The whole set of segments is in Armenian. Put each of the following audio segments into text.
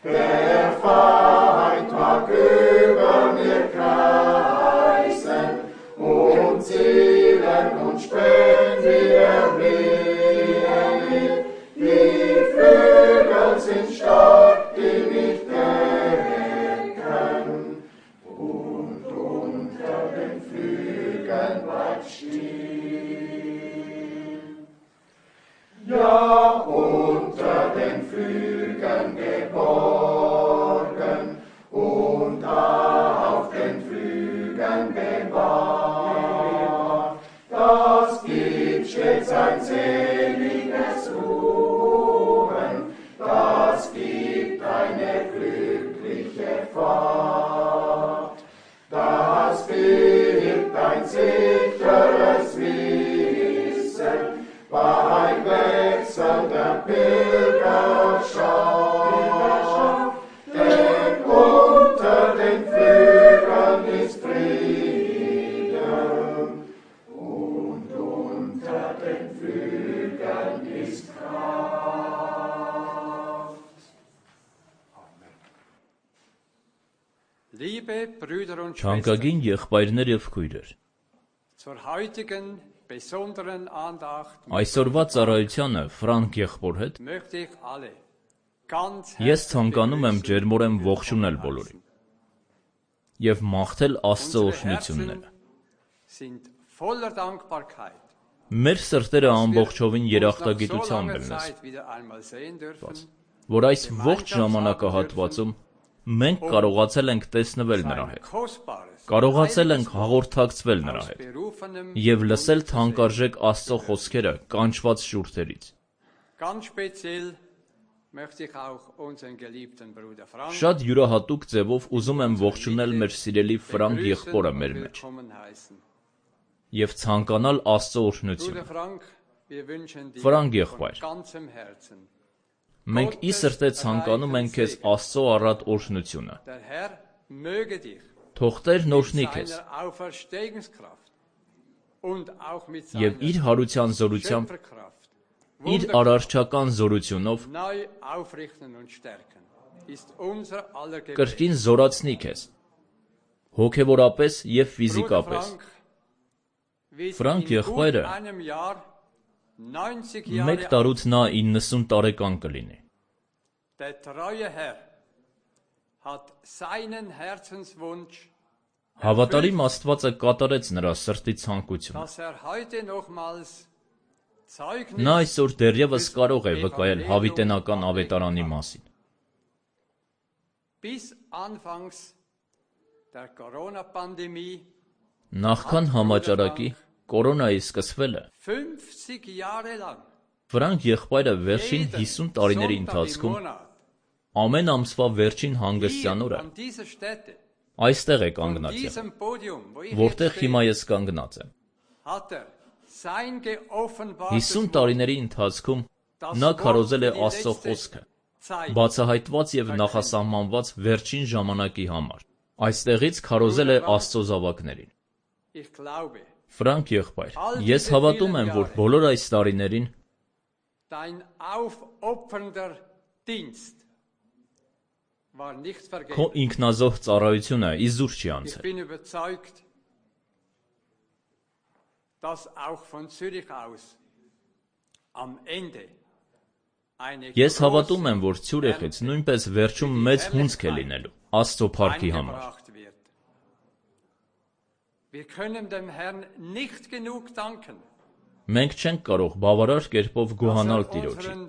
Der Feind mag über mir kreisen. Թանկագին եղբայրներ և քույրեր, այսօրվա ծառայությանը Ֆրանկ եղբոր հետ ես ցանկանում եմ ջերմորեն ողջունել բոլորին և մաղթել Աստծո օրհնությունները։ Մեր սրտերը ամբողջովին երախտագիտությամբ են լցված, որ այս ողջ ժամանակահատվածում մենք կարողացել ենք տեսնվել նրա հետ, կարողացել ենք հաղորդակցվել նրա հետ և լսել թանկարժեք Աստծո խոսքերը կանչված շուրթերից։ Շատ յուրահատուկ ձևով ուզում եմ ողջունել մեր սիրելի Ֆրանկ եղբորը մեր մեջ և ցանկանալ Աստծո օրհնությունը։ Ֆրանկ եղբայր, մենք ի սրտե ցանկանում ենք քեզ Աստծո առատ օրհնությունը։ Թող Տերն օրհնի քեզ և իր հարության զորությամբ, իր արարչական զորությունով կրկին զորացնի քեզ, հոգևորապես և ֆիզիկապես։ Ֆրանկ եղբայրը մեկ տարուց նա 90 տարեկան կլինի։ Հավատարիմ Աստվածը կատարեց նրա սրտի ցանկությունը։ Նա այսօր դեռևս կարող է վկայել հավիտենական ավետարանի մասին։ Նախքան համաճարակի կորոնայի սկսվելը, Ֆրանկ եղբայրը վերջին 50 տարիների ընթացքում ամեն ամսվա վերջին հանգստյան օրը այստեղ է կանգնած եղել, որտեղ հիմա ես կանգնած եմ։ 50 տարիների ընթացքում նա քարոզել է Աստծո խոսքը, բացահայտված և նախասահմանված վերջին ժամանակի համար։ Այստեղից քարոզել է Աստծո զավակներին։ Ֆրանկ եղբայր, ես հավատում եմ, որ բոլոր այս տարիներին քո ինքնազոհ ծառայությունը իզուր չի անցել։ Ես հավատում եմ, որ Ցյուրիխից նույնպես վերջում մեծ հունձք է լինելու Աստծո փառքի համար։ Մենք չենք կարող բավարար կերպով գոհանալ Տիրոջին,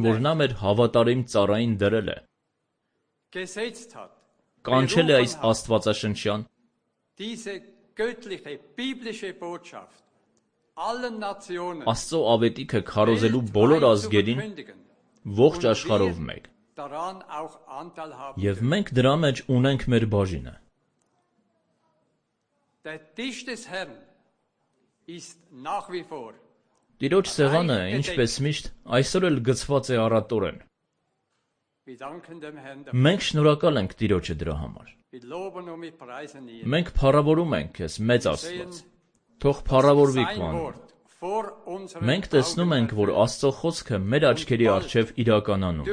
որ նա մեր հավատարիմ ծառային դրել է, կանչել է այս աստվածաշնչյան Աստծո ավետիքը քարոզելու բոլոր ազգերին ողջ աշխարհով մեկ, և մենք դրա մեջ ունենք մեր բաժինը։ Տիրոջ սեղանը, ինչպես միշտ, այսօր էլ գցված է առատորեն։ Մենք շնորհակալ ենք Տիրոջը դրա համար։ Մենք փառավորում ենք քեզ, մեծ Աստված, թող փառավորվի քո անունը։ Մենք տեսնում ենք, որ Աստծո խոսքը մեր աչքերի առջև իրականանում է։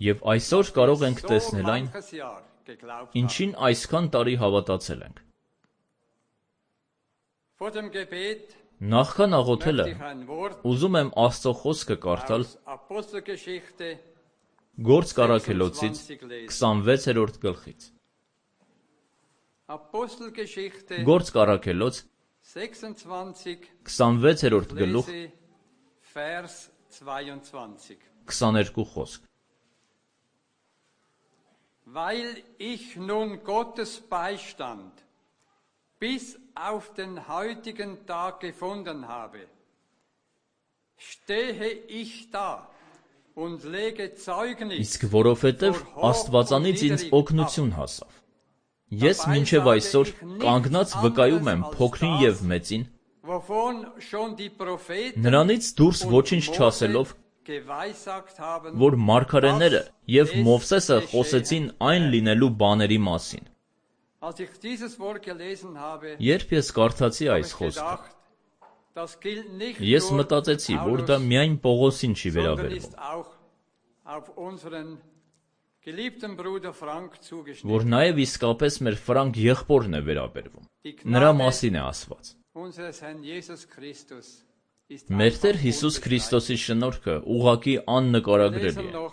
Եվ այսօր կարող ենք տեսնել այն, ինչին այսքան տարի հավատացել ենք։ Նախքան աղոթելը ուզում եմ Աստծո խոսքը կարդալ Գործք առաքելոցից 26-րդ գլխից։ Գործք առաքելոց 26-րդ գլուխ 22 խոսք։ Weil ich nun Gottes Beistand bis auf den heutigen Tag gefunden habe, stehe ich da und lege Zeugnis Իսկ որովհետև Աստվածանից ինձ օգնություն հասավ, ես մինչև այսօր կանգնած վկայում եմ փոքրին և մեծին, նրանից դուրս ոչինչ չասելով, որ մարգարեները և Մովսեսը խոսեցին այն լինելու բաների մասին։ Երբ ես կարդացի այս խոսքը, ես մտածեցի, որ դա միայն Պողոսին չի վերաբերվում, geliebten Bruder Frank zugeschnitten. որ նաև իսկապես մեր Ֆրանկ եղբորն է վերաբերվում։ Նրա մասին է ասված։ Unseres Herrn Jesus Christus ist Մեր Տեր Հիսուս Քրիստոսի շնորհքը ուղղակի աննկարագրելի է։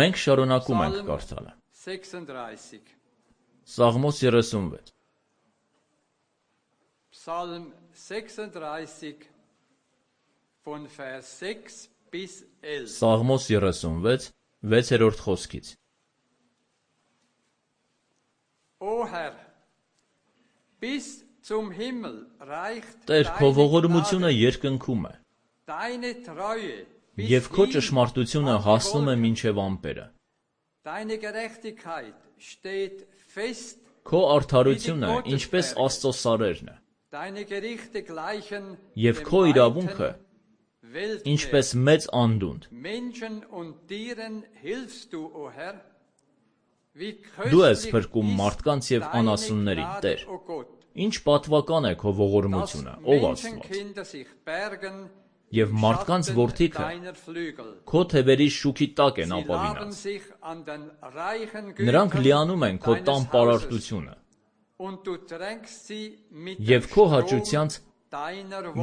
Մենք շարունակում ենք կարդալը։ 36. Սաղմոս 36։ Psalm 36 von Vers 6 bis 11. Սաղմոս 36, 6-րդ խոսքից։ O Herr, bis zum Himmel reicht Տեր, քո ողորմությունը երկնքում է, deine Treue եւ քո ճշմարտությունը հասնում է մինչեւ ամպերը։ Deine Gerechtigkeit steht fest. Քո արդարությունը ինչպես Աստծո սարերն է, Deine Gerichte gleichen եւ քո իրավունքը ինչպես մեծ անդունդ։ Menschen und Tieren hilfst du, o Herr. Դու ես փրկում մարդկանց եւ անասուններին, Տեր։ Ինչ պատվական է քո ողորմությունը, ով Աստված։ Եվ մարդկանց որդիքը քո թևերի շուքի տակ են ապավինած։ Նրանք լիանում են քո տան պարարտությունը եւ քո հաճությանց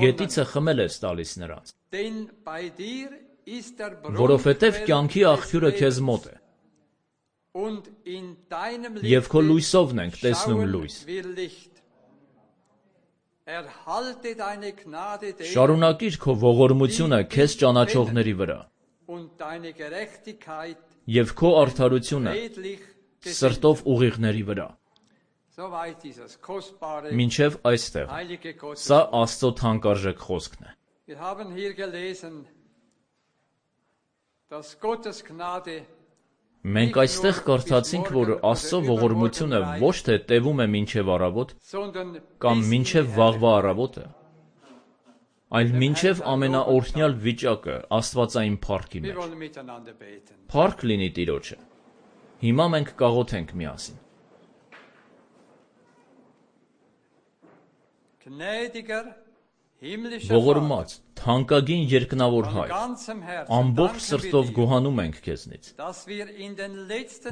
գետիցը խմել ես տալիս նրանց։ Որովհետև կյանքի աղբյուրը քեզ մոտ է եւ քո լույսովն ենք տեսնում լույս։ Շարունակիր քո ողորմությունը քեզ ճանաչողների վրա եւ քո արդարությունը սրտով ուղիղների վրա։ Մինչև այստեղ։ Սա Աստծո թանկարժեք խոսքն է։ Մենք այստեղ կարդացինք, որ Աստծո ողորմությունը ոչ թե տևում է մինչև առավոտ կամ մինչև վաղվա առավոտը, այլ մինչև ամենաօրհնյալ վիճակը Աստվածային փառքի մեջ։ Փառք լինի Տիրոջը։ Հիմա մենք կաղոթենք միասին։ Ողորմած, թանկագին երկնավոր Հայր, ամբողջ սրտով գոհանում ենք քեզնից,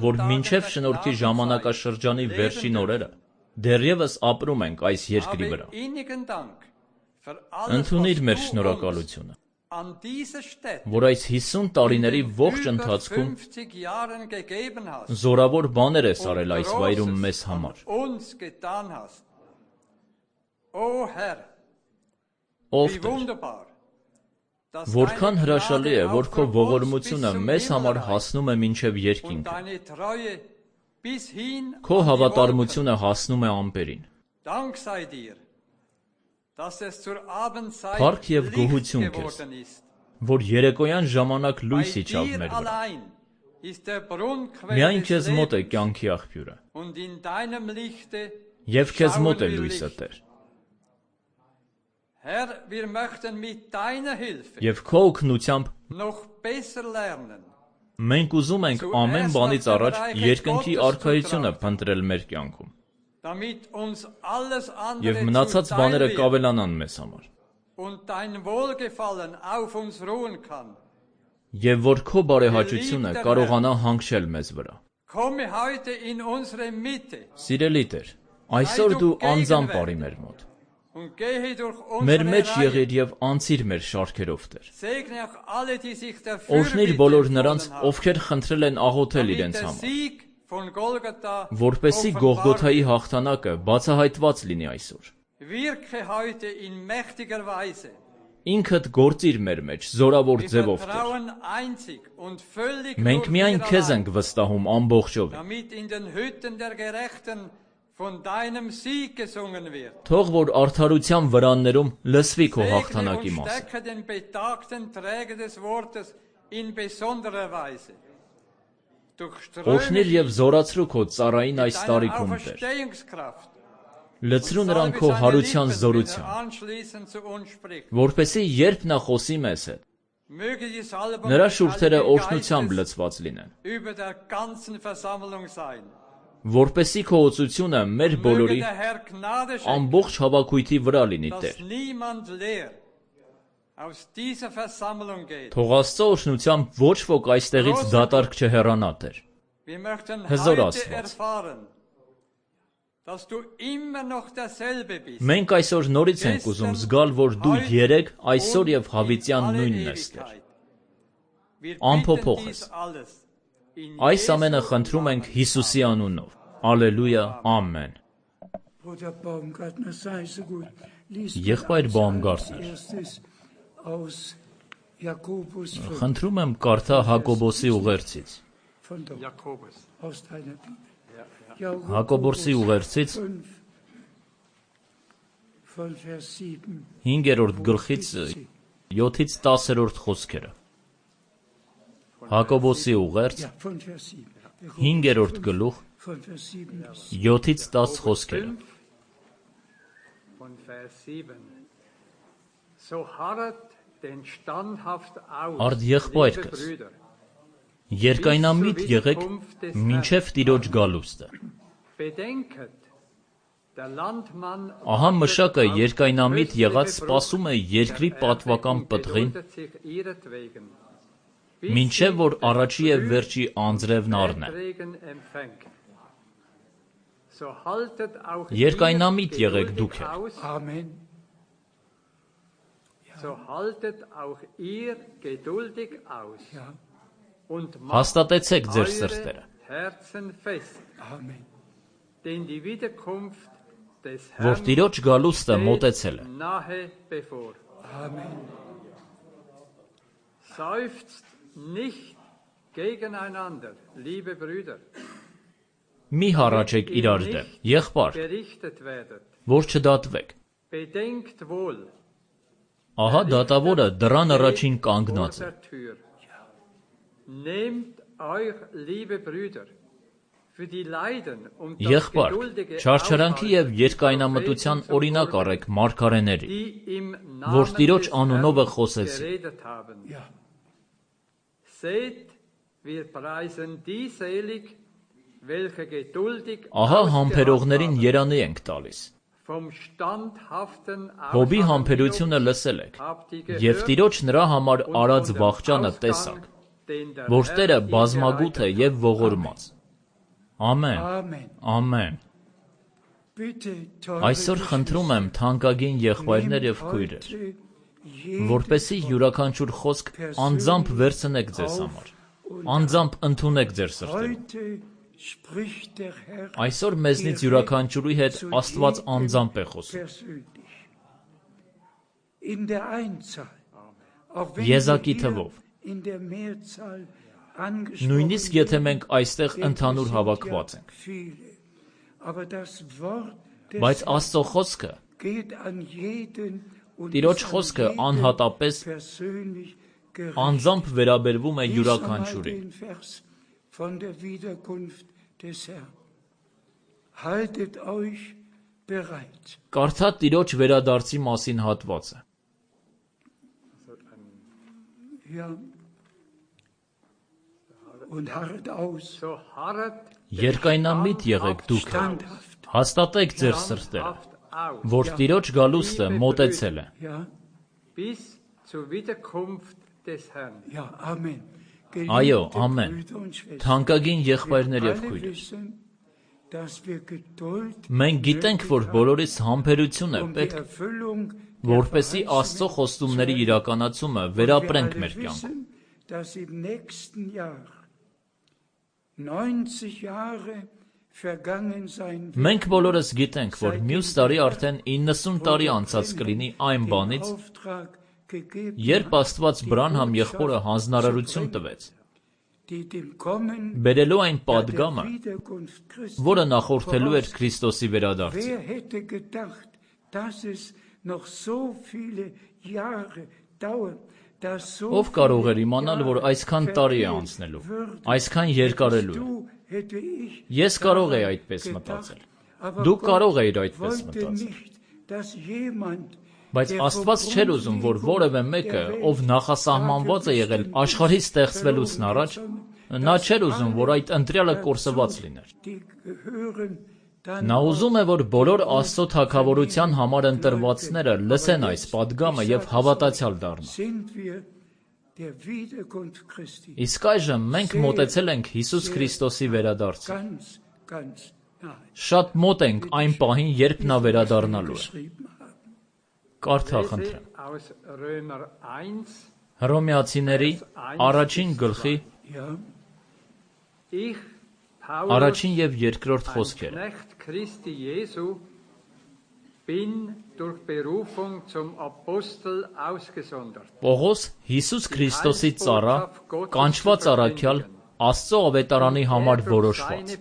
որ մինչև շնորհքի ժամանակաշրջանի վերջին օրերը դեռևս ապրում ենք այս երկրի վրա։ Ընդունիր մեր շնորհակալությունը, որ այս 50 տարիների ողջ ընթացքում զորավոր բաներ ես արել այս վայրում մեզ համար։ Ով Տեր, որքան հրաշալի է, որ քո ողորմությունը մեզ համար հասնում է մինչև երկինքը, քո հավատարմությունը հասնում է ամպերին։ Փառք եւ գոհություն քեզ, որ երեկոյան ժամանակ լույս իջավ մեր վրա։ Միայն քեզ մոտ է կյանքի աղբյուրը, եւ քեզ մոտ է լույսը, Տեր։ Եվ քո օգնությամբ մենք ուզում ենք ամեն բանից առաջ երկնքի արքայությունը փնտրել մեր կյանքում։ Եվ մնացած բաները կավելանան մեզ համար։ Եվ որ քո բարեհաճությունը կարողանա հանգչել մեզ վրա։ Սիրելի Տեր, այսօր դու անձամբ արի մեր մոտ։ Մեր մեջ եղիր եւ անցիր մեր շարքերով, Տեր։ Օրհնիր բոլոր նրանց, ովքեր խնդրել են աղոթել իրենց համար, որպեսզի Գողգոթայի հաղթանակը բացահայտված լինի այսօր։ Ինքդ գործիր մեր մեջ զորավոր ձևով, Տեր։ Մենք միայն քեզ ենք վստահում ամբողջովին։ Թող որ արդարության վրաններում լսվի քո հաղթանակի մասը։ Օրհնիր եւ զորացրու քո ծառային այս տարիքում, Տեր։ Լցրու նրան քո հարության զորությամբ, որպեսզի երբ նա խոսի մեզ հետ, նրա շուրթերը օրհնությամբ լցված լինեն։ Որպեսզի քո օծությունը մեր բոլորի ամբողջ հավաքույթի վրա լինի, Տեր։ Թող Աստծո օրհնությամբ ոչ ոք այստեղից դատարկ չհեռանա, Տեր։ Wir möchten Hezor heute Astված. erfahren, dass du immer noch derselbe bist. Մենք այսօր նորից ենք ուզում զգալ, որ դու երեկ, այսօր եւ հավիտյան նույնն ես Տեր։ Wir Անփոփոխ bitten ես։ dies alles in Այս Jesu ամենը խնդրում ենք Հիսուսի անունով։ Ալելույա, ամեն։ Bruder Baumgartner, sei so gut. Lies Եղբայր mir Baumgartner. als erstes aus Jakobus 5 Խնդրում եմ կարդա Հակոբոսի ուղերձից։ von dort, Jakobus. aus deiner Bibel. Հակոբոսի ուղերձից 5 von Vers 7 5-րդ գլխից 7-ից 10-րդ խոսքերը։ Հակոբոսի ուղերձ ja, von Vers 7. 5-րդ գլուխ Von Vers 7 bis 7-ից 10 խոսքերը։ Von Vers 7. So harret denn standhaft aus, Արդ եղբայր liebe կես, Brüder, երկայնամիտ եղեք մինչև Տիրոջ գալուստը։ bedenket, der Landmann Ահա մշակը երկայնամիտ եղած սպասում է երկրի պատվական պտղին, մինչև որ առաջի եւ վերջի անձրևն առնե։ Երկայնամիտ եղեք դուք էլ։ Amen. So haltet auch ihr geduldig aus Ja, und Հաստատեցեք ձեր eure սրտերը, Herzen fest, Amen. denn die Wiederkunft des որ Herrn Տիրոջ գալուստը մոտեցել է։ steht nahe bevor. Amen. Seufzt nicht gegeneinander, liebe Brüder, Մի հառաչեք իրար դեմ, եղբայր, gerichtet werdet. որ չդատվեք։ Bedenkt wohl, Ահա դատավորը դռան առաջին vor կանգնած է։ der Tür. Nehmt euch, liebe Brüder, für die Leiden und das Եղբայր, geduldige չարչարանքի եւ Aushalten երկայնամտության der Propheten օրինակ zum առեք մարգարեների, die im որ Namen Տիրոջ des անունով Herrn խոսեցին։ geredet haben. Ja, Seht, wir preisen die selig, welche geduldig Ահա ausgeharrt համբերողներին haben. երանի ենք տալիս։ Vom standhaften Հոբի Ausharren համբերությունը Hiobs լսել եք, habt ihr եւ gehört Տիրոջ նրա համար und արած von dem վախճանը Ausgang, տեսաք, den der որ Herr Տերը ihm բազմագութ է bereitet եւ hat. ողորմած։ Ամեն, Amen. ամեն։ Bitte, teure Այսօր խնդրում եմ թանկագին եղբայրներ եւ քույրեր, որպեսի յուրաքանչյուր խոսք անձամբ վերցնեք ձեզ համար, անձամբ ընդունեք ձեր սրտերում։ Heute spricht der Herr Այսօր մեզնից յուրաքանչյուրի հետ Աստված անձամբ է խոսում։ persönlich. In der Einzahl, auch wenn Եզակի wir թվով։ hier in der Mehrzahl angesprochen Նույնիսկ եթե մենք այստեղ ընդհանուր հավաքված ենք, viele. Aber das Wort des բայց Աստծո խոսքը, geht an jeden und Տիրոջ ist an խոսքը jeden անհատապես persönlich gerichtet. անձամբ վերաբերվում է Lies einmal յուրաքանչյուրին։ den Vers von der Wiederkunft des Herrn. Haltet euch bereit. Կարդա Տիրոջ վերադարձի մասին հատվածը։ Ja. Und harret aus. So harret Երկայնամիտ եղեք դուք էլ, Standhaft. հաստատեք ձեր սրտերը, standhaft aus, որ Տիրոջ գալուստը մոտեցել է։ Ja, bis zur Wiederkunft des Herrn. ja, Amen. Այո, Geliebte ամեն։ Brüder und Schwestern, Թանկագին եղբայրներ wir եւ alle քույրեր, wissen, dass wir Geduld մենք գիտենք, որ բոլորիս համբերություն է um die պետք, Erfüllung որպեսզի Աստծո խոստումների իրականացումը վերապրենք մեր կյանքում։ wissen, dass im nächsten Jahr 90 Jahre vergangen sein werden, Մենք բոլորս գիտենք, որ մյուս տարի արդեն 90 տարի անցած կլինի այն den բանից, Auftrag gegeben երբ Աստված Բրանհամ եղբորը հանձնարարություն տվեց, die dem Kommen բերելու այն der պատգամը, Wiederkunft Christi որը նախորդելու էր Քրիստոսի վերադարձին։ Wer hätte gedacht, dass es noch so viele Jahre dauert, dass so Ով կարող էր viele իմանալ, որ Jahre այսքան տարի է vergehen անցնելու, würden? այսքան երկարելու է։ Du, hätte ich Ես կարող էի daran այդպես gedacht. մտածել։ Aber Դու Gott կարող էիր այդպես wollte մտածել։ nicht, dass jemand, Բայց der Աստված vom չէր ուզում, որ որևէ մեկը, ով նախասահմանված է եղել աշխարհի ստեղծվելուց առաջ, նա չէր ուզում, որ այդ ընտրյալը կորսված լիներ։ die gehören dann Նա ուզում է, որ բոլոր Աստծո թագավորության համար ընտրվածները լսեն այս պատգամը եւ հավատացյալ դառնան։ sind wir der Wiederkunft Christi. Իսկ այժմ մենք մոտեցել ենք Հիսուս Քրիստոսի վերադարձին։ Ganz, ganz nahe. Շատ մոտ ենք այն պահին, երբ նա վերադառնալու է։ Geschrieben haben. Կարդա խնդրեմ։ Aus Römer 1, Հռոմեացիների առաջին գլխի Ja, ich, Paulus, առաջին եւ երկրորդ ein խոսքերը։ Knecht Christi Jesu, bin durch Berufung zum Apostel ausgesondert. Պողոս Հիսուս Քրիստոսի ծառա, կանչված առաքյալ, Աստծո ավետարանի համար որոշված։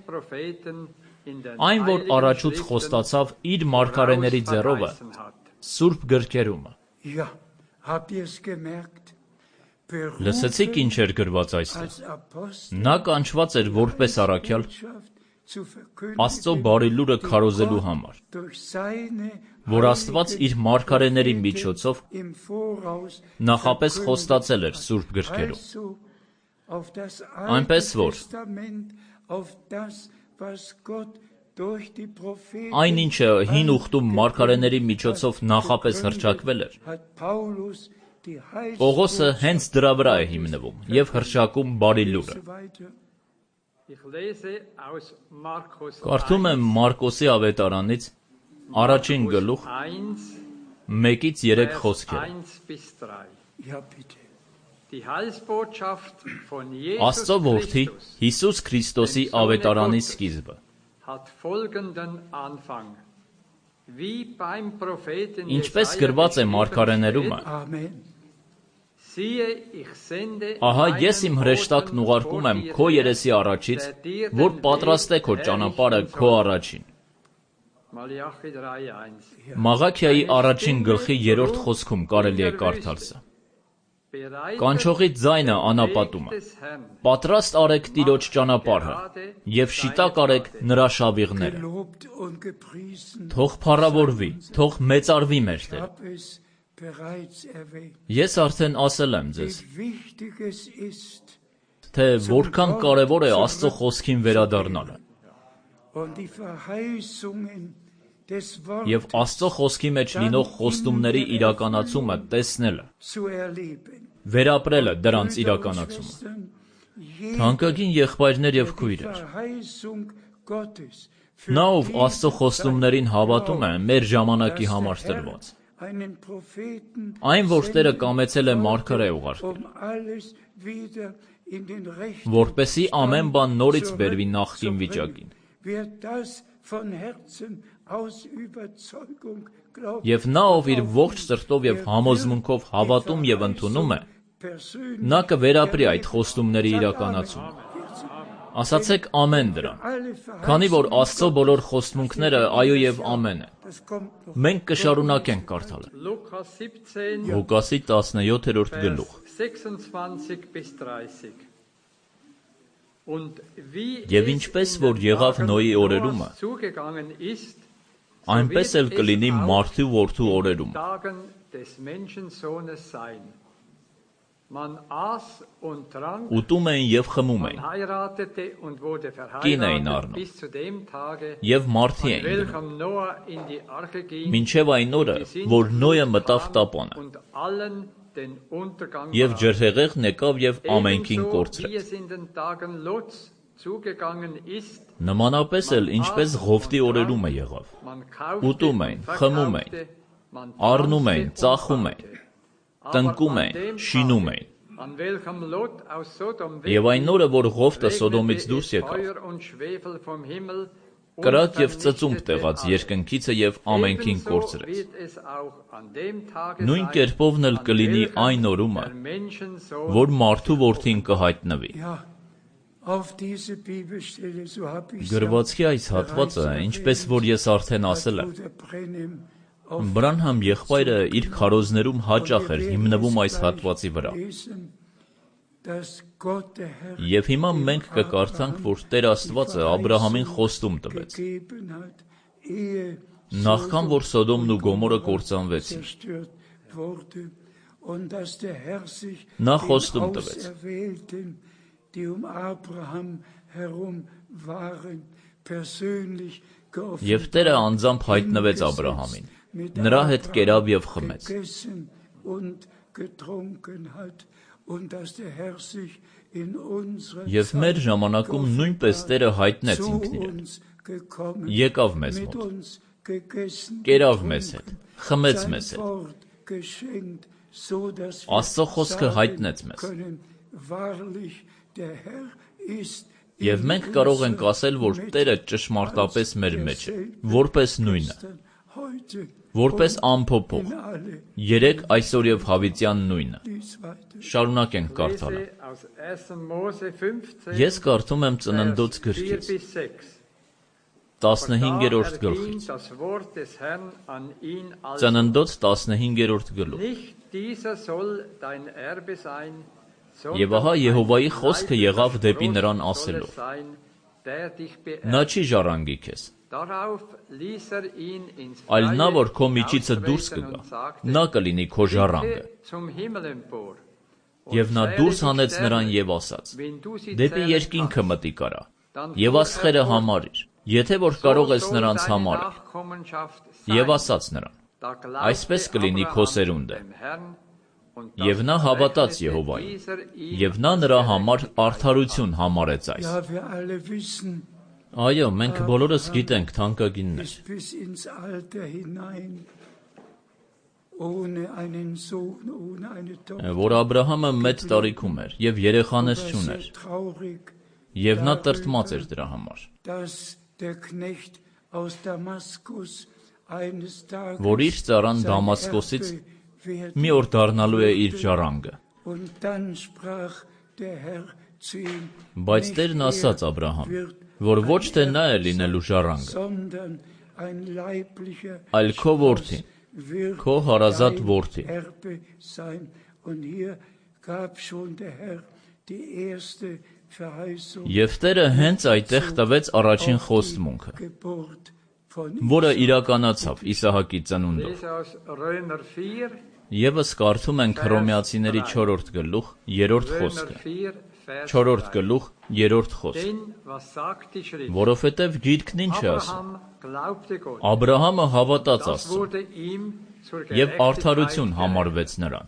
Այն, որ առաջուց խոստացավ իր մարգարեների ձեռովը, Սուրբ գրքերումը։ ja, habt ihr es gemerkt? Լսեցիք ինչ էր գրված այստեղ։ Als Apostel Նա կանչված էր որպես առաքյալ zu verkündigen, Աստծո բարի լուրը քարոզելու համար, durch seine որ Աստված իր մարգարեների միջոցով im Voraus նախապես խոստացել էր Սուրբ գրքերում։ also auf das Այնպես Alte որ Testament, auf das, was Gott durch die Propheten Այն ինչը հին ուխտում մարգարեների միջոցով նախապես հռչակվել էր, hat Paulus die Պողոսը հենց դրա վրա է հիմնվում եւ հռչակում բարի լուրը։ weiter. Ich lese aus Markus Կարդում եմ Մարկոսի ավետարանից առաջին գլուխ 1-ից 3 խոսքերը։ 1 bis 3. Ja, bitte. Die Heilsbotschaft von Jesus Աստծո որդի Christus Հիսուս Քրիստոսի ավետարանի սկիզբը։ hat folgenden Anfang. Wie beim Propheten Ինչպես Jesaja գրված է geschrieben մարգարեներումը, Amen. Siehe, ich sende ահա meinen ես իմ հրեշտակն Boten ուղարկում եմ vor dir քո her, երեսի առաջից, der dir որ den պատրաստե Weg քո ճանապարհը errichten քո soll. առաջին։ Մալախի 3:1. Մաղաքիայի առաջին գլխի 3-րդ խոսքում կարելի է կարդալ սա։ Կանչողի ձայնը անապատում է։ Պատրաստ արեք Տիրոջ ճանապարհը եւ շիտակ արեք նրա շավիղները։ Gelobt und gepriesen. Թող փառավորվի, թող մեծարվի մեր Տեր։ Hab es bereits erwähnt. Ես արդեն ասել եմ ձեզ, Wie wichtig es ist թե որքան կարևոր է Աստծո խոսքին վերադառնալը und die Verheißungen des եւ Wortes Աստծո խոսքի մեջ լինող խոստումների իրականացումը տեսնելը, zu erleben. վերապրելը դրանց իրականացումը։ Թանկագին եղբայրներ եւ քույրեր, Verheißung Gottes նա ով Աստծո խոստումներին հավատում է, մեր ժամանակի համար տրված։ einen Propheten Այն, որ Տերը կամեցել է մարգարե ուղարկել, alles wieder in den rechten որպեսզի ամեն բան նորից բերվի նախկին վիճակին։ Wer das von Herzen aus Überzeugung glaubt, Եվ նա, ով իր ողջ սրտով եւ համոզմունքով հավատում եւ ընդունում է, persönlich նա կվերապրի այդ խոստումների իրականացումը։ Ասացեք ամեն դրան, alle քանի որ Աստծո բոլոր խոստմունքները այո եւ ամեն են։ das kommt noch Մենք կշարունակենք կարդալը։ Lukas 17, Ղուկասի 17-րդ գլուխ։ 26 bis 30. Und wie Եվ es ինչպես in որ den եղավ Tagen Նոյի Noahs օրերումը, zugegangen ist, so այնպես wird էլ կլինի es auch մարդու որդու in den օրերում։ Tagen des Menschensohnes sein. Man aß und trank, Ուտում էին եւ խմում man էին, heiratete und wurde Կին էին verheiratet առնում, bis zu dem Tage, եւ մարդի an էին գնում, welchem Noah in die Arche ging, մինչեւ այն օրը, die որ Նոյը Sintflut մտավ kam տապանը, und allen den Untergang եւ brachte. ջրհեղեղն եկավ եւ ամենքին Ebenso wie կորցրեց։ es in den Tagen Lots zugegangen ist, Նմանապես էլ ինչպես Ղովտի օրերում է եղավ։ man kaufte Ուտում und էին, խմում էին, verkaufte, man առնում էին, pflanzte und ծախում էին, baute. տնկում Aber an էին, dem շինում Tage, էին։ an welchem Lot aus Sodom Եվ այն օրը, որ Ղովտը regnete Սոդոմից es դուրս եկավ, Feuer und Schwefel vom Himmel und կրակ եւ ծծումբ vernichtete տեղաց alles. երկնքիցը եւ ամենքին Ebenso կորցրեց։ wird es auch an dem Tage Նույն sein, կերպովն էլ an կլինի welchem այն օրումը, der Menschensohn որ մարդու որդին կհայտնվի։ Ja, auf diese Bibelstelle, so habe ich Գրվածքի այս հատվածը, ինչպես որ ես արդեն ասել եմ, Բրանհամ եղբայրը իր քարոզներում հաճախ էր հիմնվում այս հատվածի վրա։ Եվ հիմա մենք կկարդանք, որ Տեր Աստվածը Աբրահամին խոստում տվեց, նախքան որ Սոդոմն ու Գոմորը կործանվեցին։ Նա խոստում տվեց. Եվ Տերը անձամբ հայտնվեց Աբրահամին, նրա հետ կերավ եւ խմեց։ Եվ մեր ժամանակում նույնպես Տերը հայտնեց ինքն իրեն, եկավ մեզ մոտ, կերավ մեզ հետ, խմեց մեզ հետ, Աստծո խոսքը հայտնեց մեզ, և մենք կարող ենք ասել, որ Տերը ճշմարտապես մեր մեջ է, որպես նույնը, որպես անփոփոխ, երեկ, այսօր և հավիտյան նույնը։ Շարունակենք կարդալը։ Ես կարդում եմ Ծննդոց գրքից, 15-րդ գլխից։ Ծննդոց 15-րդ գլուխ։ Եվ ահա Եհովայի խոսքը եղավ դեպի նրան ասելով. Նա չի ժառանգի քեզ, այլ նա, որ քո միջիցը դուրս կգա, նա կլինի քո ժառանգը։ Եվ նա դուրս հանեց նրան և ասաց. դեպի երկինքը մտի կարա, և աստղերը համարիր, եթե որ կարող ես նրանց համարել, և ասաց նրան. այսպես կլինի քո սերունդը։ Եվ նա հավատաց Եհովային, և նա նրա համար արդարություն համարեց այս։ Այո, մենք բոլորս գիտենք, թանկագիններ, որ Աբրահամը մեծ տարիքում էր և երեխաներ չուներ, և նա տրտմած էր դրա համար, որ իր ծառան Դամասկոսից մի օր դառնալու է իր ժառանգը։ Բայց Տերն ասաց Աբրահամին, որ ոչ թե նա է լինելու ժառանգը, այլ քո որդին, քո հարազատ որդին։ Եվ Տերը հենց այդտեղ տվեց առաջին խոստմունքը, որը իրականացավ Իսահակի ծնունդով։ Եվս կարդում ենք Հռոմեացիների 4-րդ գլուխ 3-րդ խոսքը, 4-րդ գլուխ 3-րդ խոսք, որովհետև Գիրքն ինչ է ասում. Աբրահամը հավատաց Աստծուն, և արդարություն համարվեց նրան։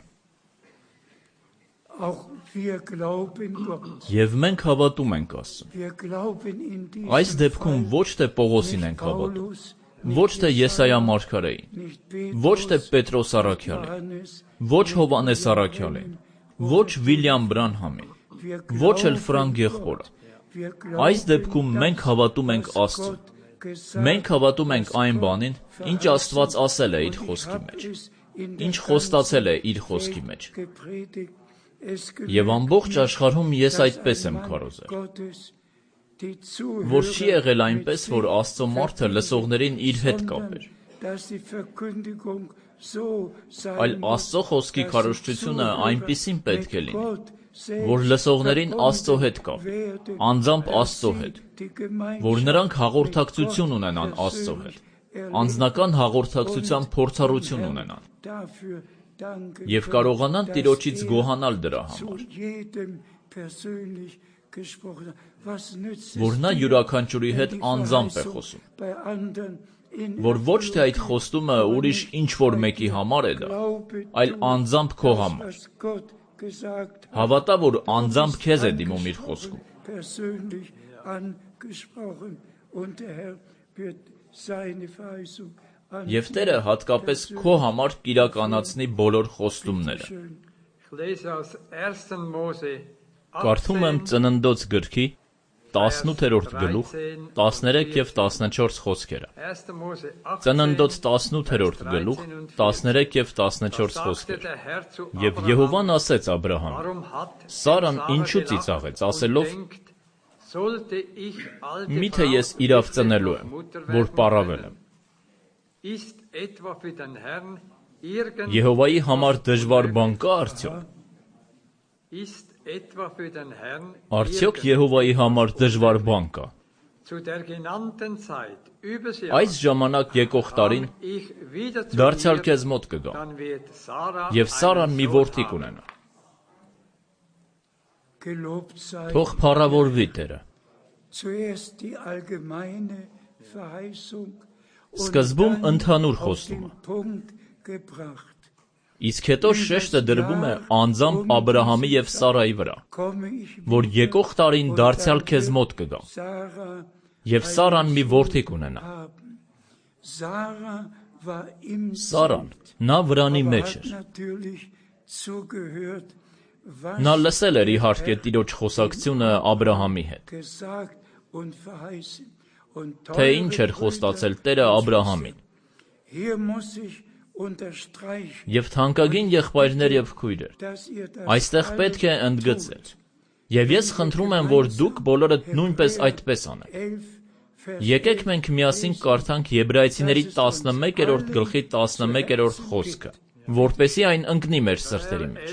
Եվ մենք հավատում ենք Աստծուն։ Այս դեպքում ոչ թե Պողոսին ենք հավատում, ոչ թե Եսայիա մարգարեին, ոչ թե Պետրոս առաքյալին, ոչ Հովհաննես առաքյալին, ոչ Վիլյամ Բրանհամին, ոչ էլ Ֆրանկ եղբորը։ Այս դեպքում մենք հավատում ենք Աստծուն։ Մենք հավատում ենք այն բանին, ինչ Աստված ասել է իր խոսքի մեջ, ինչ խոստացել է իր խոսքի մեջ։ Եվ ամբողջ աշխարհում ես այդպես եմ քարոզել, որ չի եղել այնպես, որ Աստծո մարդը լսողներին իր հետ կապեր, այլ Աստծո խոսքի քարոզչությունը այնպիսին պետք է լինի, որ լսողներին Աստծո հետ կապի, անձամբ Աստծո հետ, որ նրանք հաղորդակցություն ունենան Աստծո հետ, անձնական հաղորդակցության փորձառություն ունենան և կարողանան Տիրոջից գոհանալ դրա համար, որ նա յուրաքանչյուրի հետ անձամբ է խոսում, որ ոչ թե այդ խոստումը ուրիշ ինչ-որ մեկի համար է դա, այլ անձամբ քո համար։ Հավատա, որ անձամբ քեզ է դիմում իր խոսքում։ Եվ Տերը հատկապես քո համար կիրականացնի բոլոր խոստումները։ Կարդում եմ Ծննդոց գրքի 18-րդ գլուխ 13 և 14 խոսքերը։ Ծննդոց 18-րդ գլուխ 13 և 14 խոսքեր։ Եվ Եհովան ասեց Աբրահամին. Սարան ինչու ծիծաղեց, ասելով. միթե ես իրավ ծնելու եմ, որ պառավել եմ։ Եհովայի համար դժվար բան կա արդյոք։ Արդյոք Եհովայի համար դժվար բան կա։ Այս ժամանակ եկող տարին դարձյալ քեզ մոտ կգամ, և Սարան մի որդի կունենա։ Թող փառավորվի Տերը։ Սկզբում ընդհանուր խոստումը, Իսկ հետո շեշտը դրվում է անձամբ Աբրահամի և Սարայի վրա, որ եկող տարին դարձյալ քեզ մոտ կգամ, և Սարան մի որդի կունենա։ Սարան, նա վրանի մեջ էր։ Նա լսել էր իհարկե Տիրոջ խոսակցությունը Աբրահամի հետ, թե ինչ էր խոստացել Տերը Աբրահամին։ Եվ թանկագին եղբայրներ և քույրեր, այստեղ պետք է ընդգծել, և ես խնդրում եմ, որ դուք բոլորդ նույնպես այդպես անեք։ Եկեք մենք միասին կարդանք Եբրայեցիների 11-րդ գլխի 11-րդ խոսքը, որպեսզի այն ընկնի մեր սրտերի մեջ։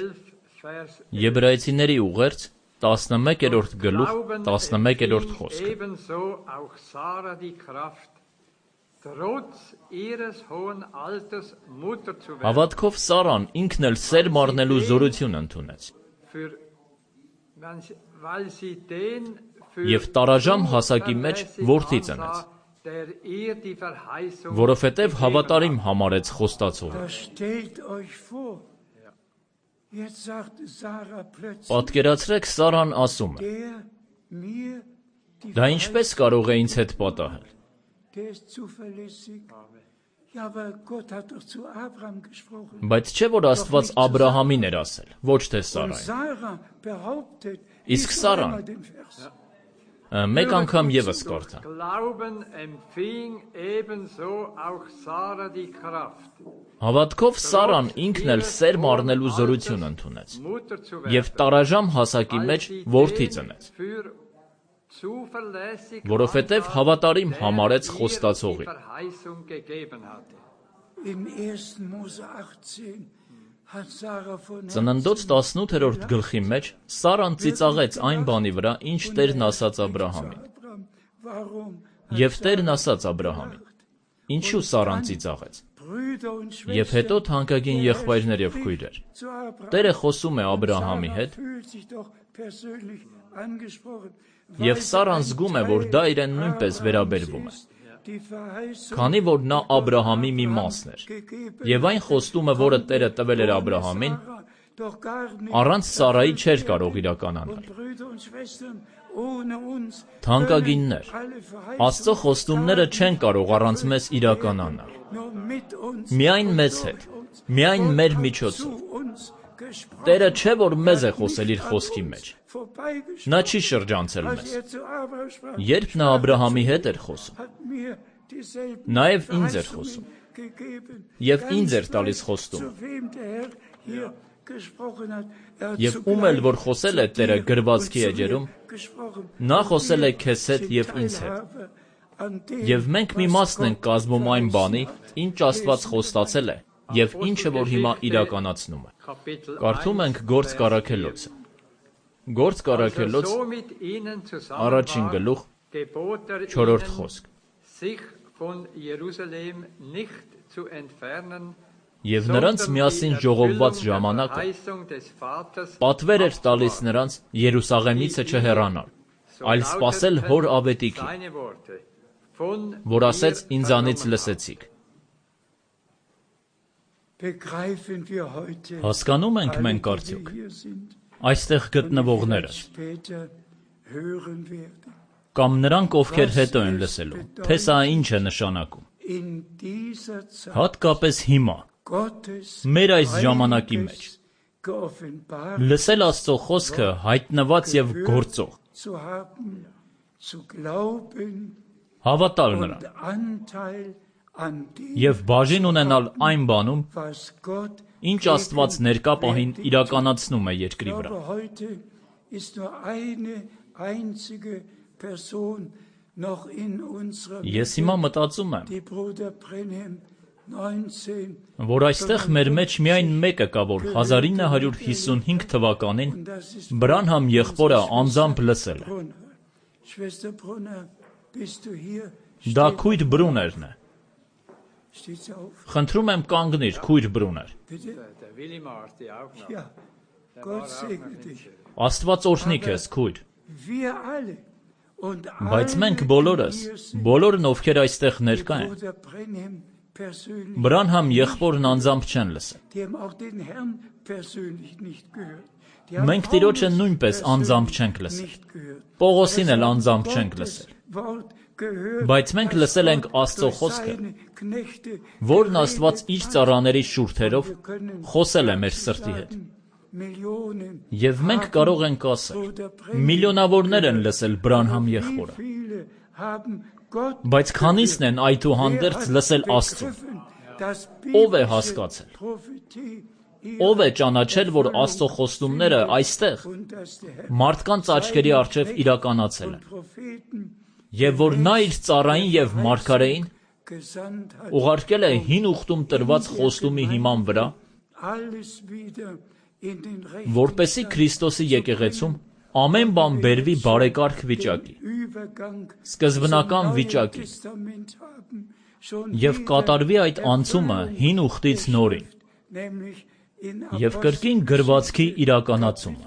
Եբրայեցիների ուղերձ 11-րդ գլուխ 11-րդ խոսքը։ Հավատքով Սարան ինքն էլ սերմ առնելու զորություն ընդունեց, և տարաժամ հասակի մեջ որդի ծնեց, որովհետև հավատարիմ համարեց խոստացողը։ Պատկերացրեք, Սարան ասում է. դա ինչպես կարող է ինձ հետ պատահել։ Բայց չէ՞ որ Աստված Աբրահամին էր ասել, ոչ թե Սարային։ Իսկ Սարան, մեկ անգամ ևս կարդա։ Հավատքով Սարան ինքն էլ սերմ առնելու զորություն ընդունեց, և տարաժամ հասակի մեջ որդի ծնեց, որովհետև հավատարիմ համարեց խոստացողին։ Ծննդոց 18-րդ գլխի մեջ Սարան ծիծաղեց այն բանի վրա, ինչ Տերն ասաց Աբրահամին։ Եվ Տերն ասաց Աբրահամին. ինչու Սարան ծիծաղեց։ Եվ հետո թանկագին եղբայրներ և քույրեր, Տերը խոսում է Աբրահամի հետ, և Սարան զգում է, որ դա իրեն նույնպես վերաբերվում է, քանի որ նա Աբրահամի մի մասն էր, և այն խոստումը, որը Տերը տվել էր Աբրահամին, առանց Սարայի չէր կարող իրականանալ։ Թանկագիններ, Աստծո խոստումները չեն կարող առանց մեզ իրականանալ։ Միայն մեզ հետ, միայն մեր միջոցով։ Տերը չէ, որ մեզ է խոսել իր խոսքի մեջ։ Նա չի շրջանցել մեզ։ Երբ նա Աբրահամի հետ էր խոսում, նաև ինձ էր խոսում, և ինձ էր տալիս խոստումը։ Եվ ում էլ որ խոսել է Տերը գրվածքի էջերում, նա խոսել է քեզ հետ և ինձ հետ։ Եվ մենք մի մասն ենք կազմում այն բանի, ինչ Աստված խոստացել է, և ինչը որ հիմա իրականացնում է։ Կարդում ենք Գործք առաքելոցը։ Գործք առաքելոց, առաջին գլուխ, 4-րդ խոսք։ Եվ նրանց միասին ժողովված ժամանակը պատվեր էր տալիս նրանց Երուսաղեմիցը չհեռանալ, այլ սպասել հոր ավետիքին, որ ասեց ինձանից լսեցիք։ Հասկանո՞ւմ ենք մենք արդյոք այստեղ գտնվողներս, կամ նրանք, ովքեր հետո են լսելու, թե սա ինչ է նշանակում։ Հատկապես հիմա, մեր այս ժամանակի մեջ, լսել Աստծո խոսքը հայտնված և գործող, հավատալ նրան և բաժին ունենալ այն բանում, ինչ Աստված ներկա պահին իրականացնում է երկրի վրա։ Ես հիմա մտածում եմ, որ այստեղ մեր մեջ միայն մեկը կա, որ 1955 թվականին Բրանհամ եղբորը անձամբ լսել է։ Դա քույր Բրուներն է։ Խնդրում եմ կանգնիր, քույր Բրուներ։ Աստված օրհնի քեզ, քույր։ Բայց մենք բոլորս, բոլորն ովքեր այստեղ ներկա են, persönlich, Բրանհամ եղբորն անձամբ չեն լսել։ die haben auch den Herrn persönlich nicht gehört. Die haben Մենք Տիրոջը Paulus նույնպես անձամբ persönlich չենք լսել։ nicht gehört. Պողոսին էլ Das անձամբ Wort չենք Gottes լսել։ Wort gehört, Բայց մենք das լսել ենք Wort Աստծո durch խոսքը, seine Knechte որն Աստված geredet իր hat. ծառաների շուրթերով Wir können խոսել է մեր սրտի հետ։ sagen, Millionen Եվ մենք haben կարող ենք ասել, Bruder Brennan միլիոնավորներ են gehört. լսել Բրանհամ Aber wie եղբորը, viele haben Gott բայց քանիսն են այդուհանդերձ Wer hat լսել Աստծուն։ begriffen, dass Ով է biblische հասկացել։ Prophetie Ով է ihre ճանաչել, որ Աստծո խոստումները findet այստեղ und dass der Herr մարդկանց աչքերի առջև իրականացել են, und Propheten եւ որ նա իր ծառային եւ մարգարեին gesandt hat, ուղարկել է հին ուխտում տրված խոստումի հիման վրա, alles wieder in den որպեսզի Քրիստոսի եկեղեցում ամեն բան բերվի բարեկարգ վիճակի, Übergang սկզբնական zum Neuen վիճակի, Testament haben, schon եւ wieder կատարվի այդ անցումը հին ուխտից նորին, nämlich in եւ կրկին գրվածքի իրականացումը։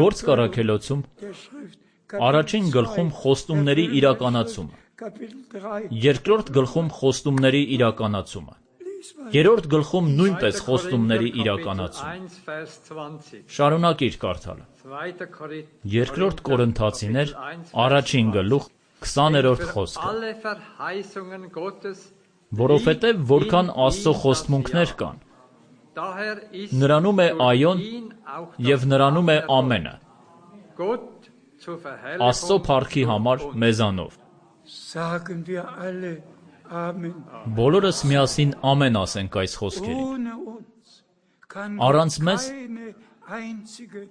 Գործ կառաքելոցում der Schrift առաջին գլխում խոստումների իրականացումը, Kapitel 3 երկրորդ գլխում խոստումների իրականացումը, երրորդ գլխում նույնպես խոստումների իրականացումը։ 1 Vers 20. Շարունակիր կարդալը։ 2. Երկրորդ Կորինթացիներ, առաջին գլուխ, 20-րդ խոսքը։ Alle Verheißungen Gottes, Որովհետև որքան Աստծո խոստմունքներ կան, daher ist նրանում է durch այոն ihn auch եւ նրանում է ամենը, Gott zur Աստծո Verherrlichung փառքի համար մեզանով։ sagen wir alle Amen. Բոլորս միասին ամեն ասենք այս խոսքերին։ Ohne uns kann Առանց մեզ keine einzige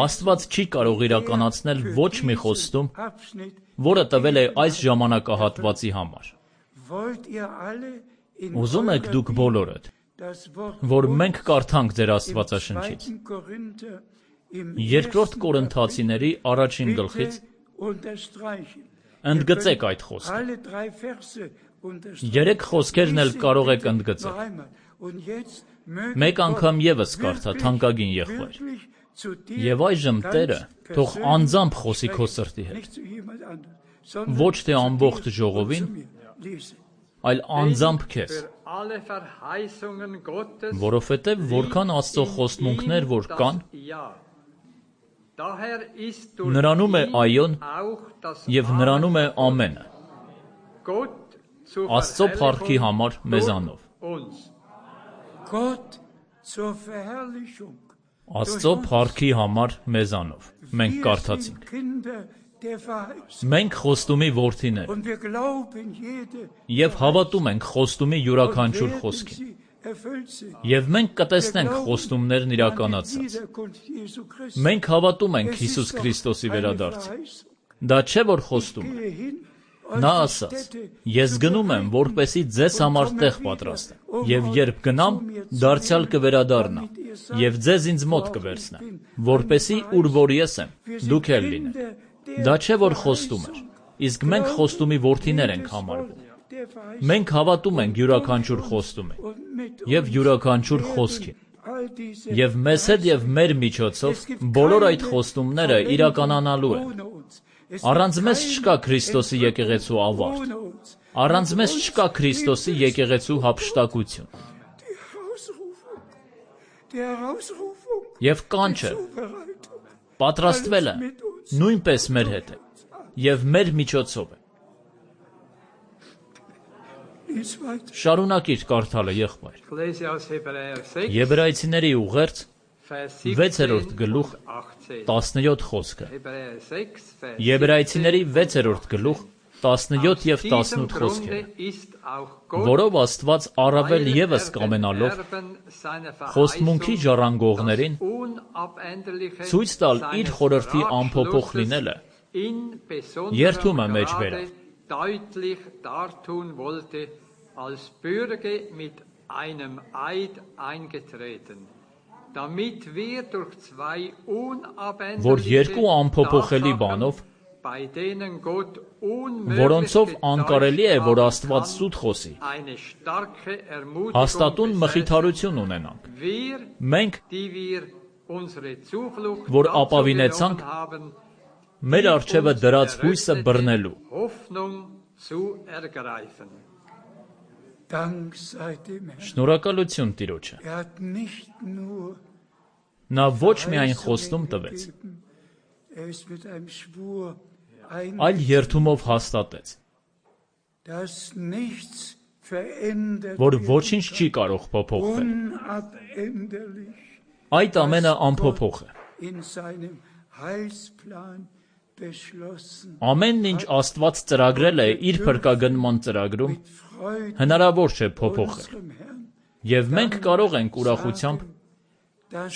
Աստված չի կարող իրականացնել ոչ մի խոստում, Abschnitt. որը տվել է այս ժամանակահատվածի համար։ Wollt ihr alle in Ուզում եք eurer դուք Bibel բոլորդ, das Wort որ uns մենք կարդանք ձեր im Աստվածաշնչից։ 2. Korinther im Երկրորդ 1. Կորինթացիների առաջին Kapitel գլխից bitte unterstreichen. ընդգծեք այդ խոսքը։ Alle drei Verse unterstreichen. Երեք խոսքերն էլ կարող եք ընդգծել։ Noch einmal. Und jetzt möge Մեկ Gott անգամ եւս կարդա, wirklich, թանկագին եղբայր։ wirklich zu dir Եվ այժմ ganz Տերը թող persönlich անձամբ խոսի քո sprechen. սրտի հետ, Nicht zu jemand anderem, sondern ոչ թե zu ամբողջ dir ժողովին, und zu mir. Lese. այլ անձամբ քեզ, für alle Verheißungen Gottes որովհետև որքան Աստծո խոստմունքներ որ կան, ja. Daher ist durch նրանում է ihn այոն auch das եւ նրանում է ամենը, Gott zur Աստծո փառքի Verherrlichung համար մեզանով։ uns. Gott zur Verherrlichung. Աստծո փառքի համար մեզանով։ Մենք Wir կարդացինք։ sind Kinder der Verheißung. Մենք խոստումի որդիներ Und wir glauben jede եւ հավատում ենք խոստումի und յուրաքանչյուր werden խոսքին։ sie erfüllt sehen. Եւ մենք կտեսնենք խոստումներն An die իրականացած։ Wiederkunft Jesu Christi. Մենք հավատում ենք Es ist Հիսուս doch Քրիստոսի eine վերադարձին։ Verheißung. Դա չէ որ խոստում է։ Gehe hin, Նա euch die ասաց. Städte Ես zu գնում եմ, bereiten որպեսի ձեզ und համար komme տեղ wieder, պատրաստեմ։ um Եվ euch երբ գնամ, zu mir zu դարձյալ nehmen, կվերադառնա, damit ihr sagt, եւ ձեզ ինձ մոտ wo auch կվերցնեմ, ich bin. որպեսի Eine ուր որ ես եմ, Wir sind դուք էլ լինեք։ Kinder der Դա չէ որ խոստում էր, Verheißung. իսկ մենք խոստումի որդիներ ենք Jedes համարվում։ Wort der Verheißung. Մենք հավատում ենք յուրաքանչյուր խոստումի Und mit եւ uns յուրաքանչյուր werden խոսքին։ all diese Եվ մեզ հետ եւ մեր միջոցով Es gibt բոլոր այդ keine խոստումները Verwendung իրականանալու են։ ohne uns. Es Առանց gibt մեզ keine չկա Քրիստոսի եկեղեցու ավարտ։ ohne uns. Առանց Und մեզ uns չկա Քրիստոսի gibt es եկեղեցու հափշտակություն։ Die Herausrufung Եվ կանչը Zubereitung. պատրաստվել է նույնպես մեր հետ է եւ մեր միջոցով է։ Lies weiter. Շարունակիր կարդալը եղբայր։ Ich lese aus Hebräer 6, Եբրայեցիների ուղերձ Vers 6-րդ 17 գլուխ und 18. 17 խոսքը։ Hebräer 6, Vers Եբրայեցիների 6-րդ գլուխ 17 եւ Aus diesem 18 Grunde խոսքերը, ist auch Gott որով Աստված առավել weil եւս er կամենալով den Erben seiner խոստմունքի Verheißung ժառանգողներին das Unabänderliche ցույց տալ իր seines խորհրդի ամփոփող Ratschlusses լինելը in երթումը besonderem մեջ Grade բերավ։ deutlich dartun wollte, als Bürger mit einem Eid eingetreten, damit wir durch zwei որ երկու unabänderliche ամփոփոխելի Tatsachen, բանով, bei denen Gott unmöglich որոնցով անկարելի է, որ getäuscht Աստված haben սուտ խոսի, eine starke Ermutigung հաստատուն besetzen. մխիթարություն ունենանք։ Wir, Մենք, die wir unsere Zuflucht որ dazu ապավինեցանք, genommen haben, մեր արջևը դրած հույսը բռնելու, Hoffnung zu ergreifen. Շնորհակալություն Տիրոջը։ Նա ոչ միայն խոստում տվեց, այլ երդումով հաստատեց, որ ոչինչ չի կարող փոփոխվել։ Այդ ամենը անփոփոխ է։ Ամենն ինչ Աստված ծրագրել է իր փրկագնման ծրագրում, հնարավոր չէ փոփոխել։ Եվ մենք կարող ենք ուրախությամբ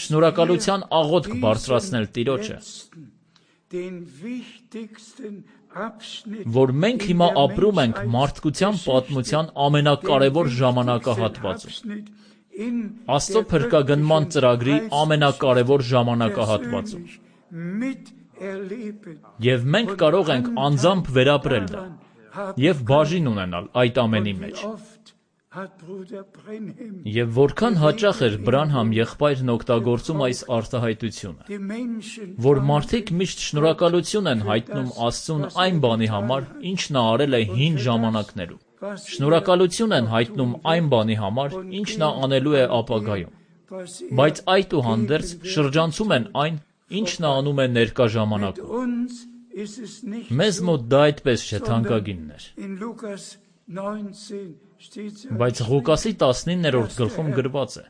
շնորհակալության աղոթք բարձրացնել Տիրոջը, որ մենք հիմա ապրում ենք մարդկության պատմության ամենակարևոր ժամանակահատվածում, Աստծո փրկագնման ծրագրի ամենակարևոր ժամանակահատվածում, եւ մենք կարող ենք անձամբ վերապրել դա եւ բաժին ունենալ այդ ամենի մեջ։ Եվ որքան հաճախ էր Բրանհամ եղբայրն օգտագործում այս արտահայտությունը, որ մարդիկ միշտ շնորհակալություն են հայտնում Աստծուն այն բանի համար, ինչ նա արել է հին ժամանակներում, շնորհակալություն են հայտնում այն բանի համար, ինչ նա անելու է ապագայում, բայց այդուհանդերձ շրջանցում են այն, ինչ նա անում է ներկա ժամանակում։ Մեզ մոտ դա այդպես չէ, թանկագիններ։ Բայց Ղուկասի 19-րդ գլխում գրված է,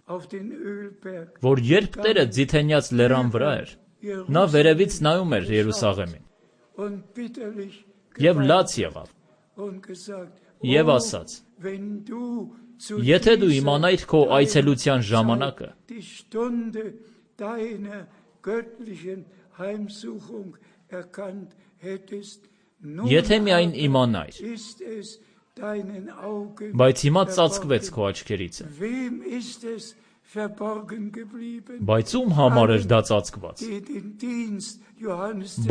որ երբ Տերը Ձիթենյաց լեռան վրա էր, նա վերևից նայում էր Երուսաղեմին եւ լաց եղավ եւ ասաց. Եթե դու իմանայիր քո այցելության ժամանակը, եթե միայն իմանայիր, բայց հիմա ծածկվեց քո աչքերից է։ Բայց ում համար էր դա ծածկված։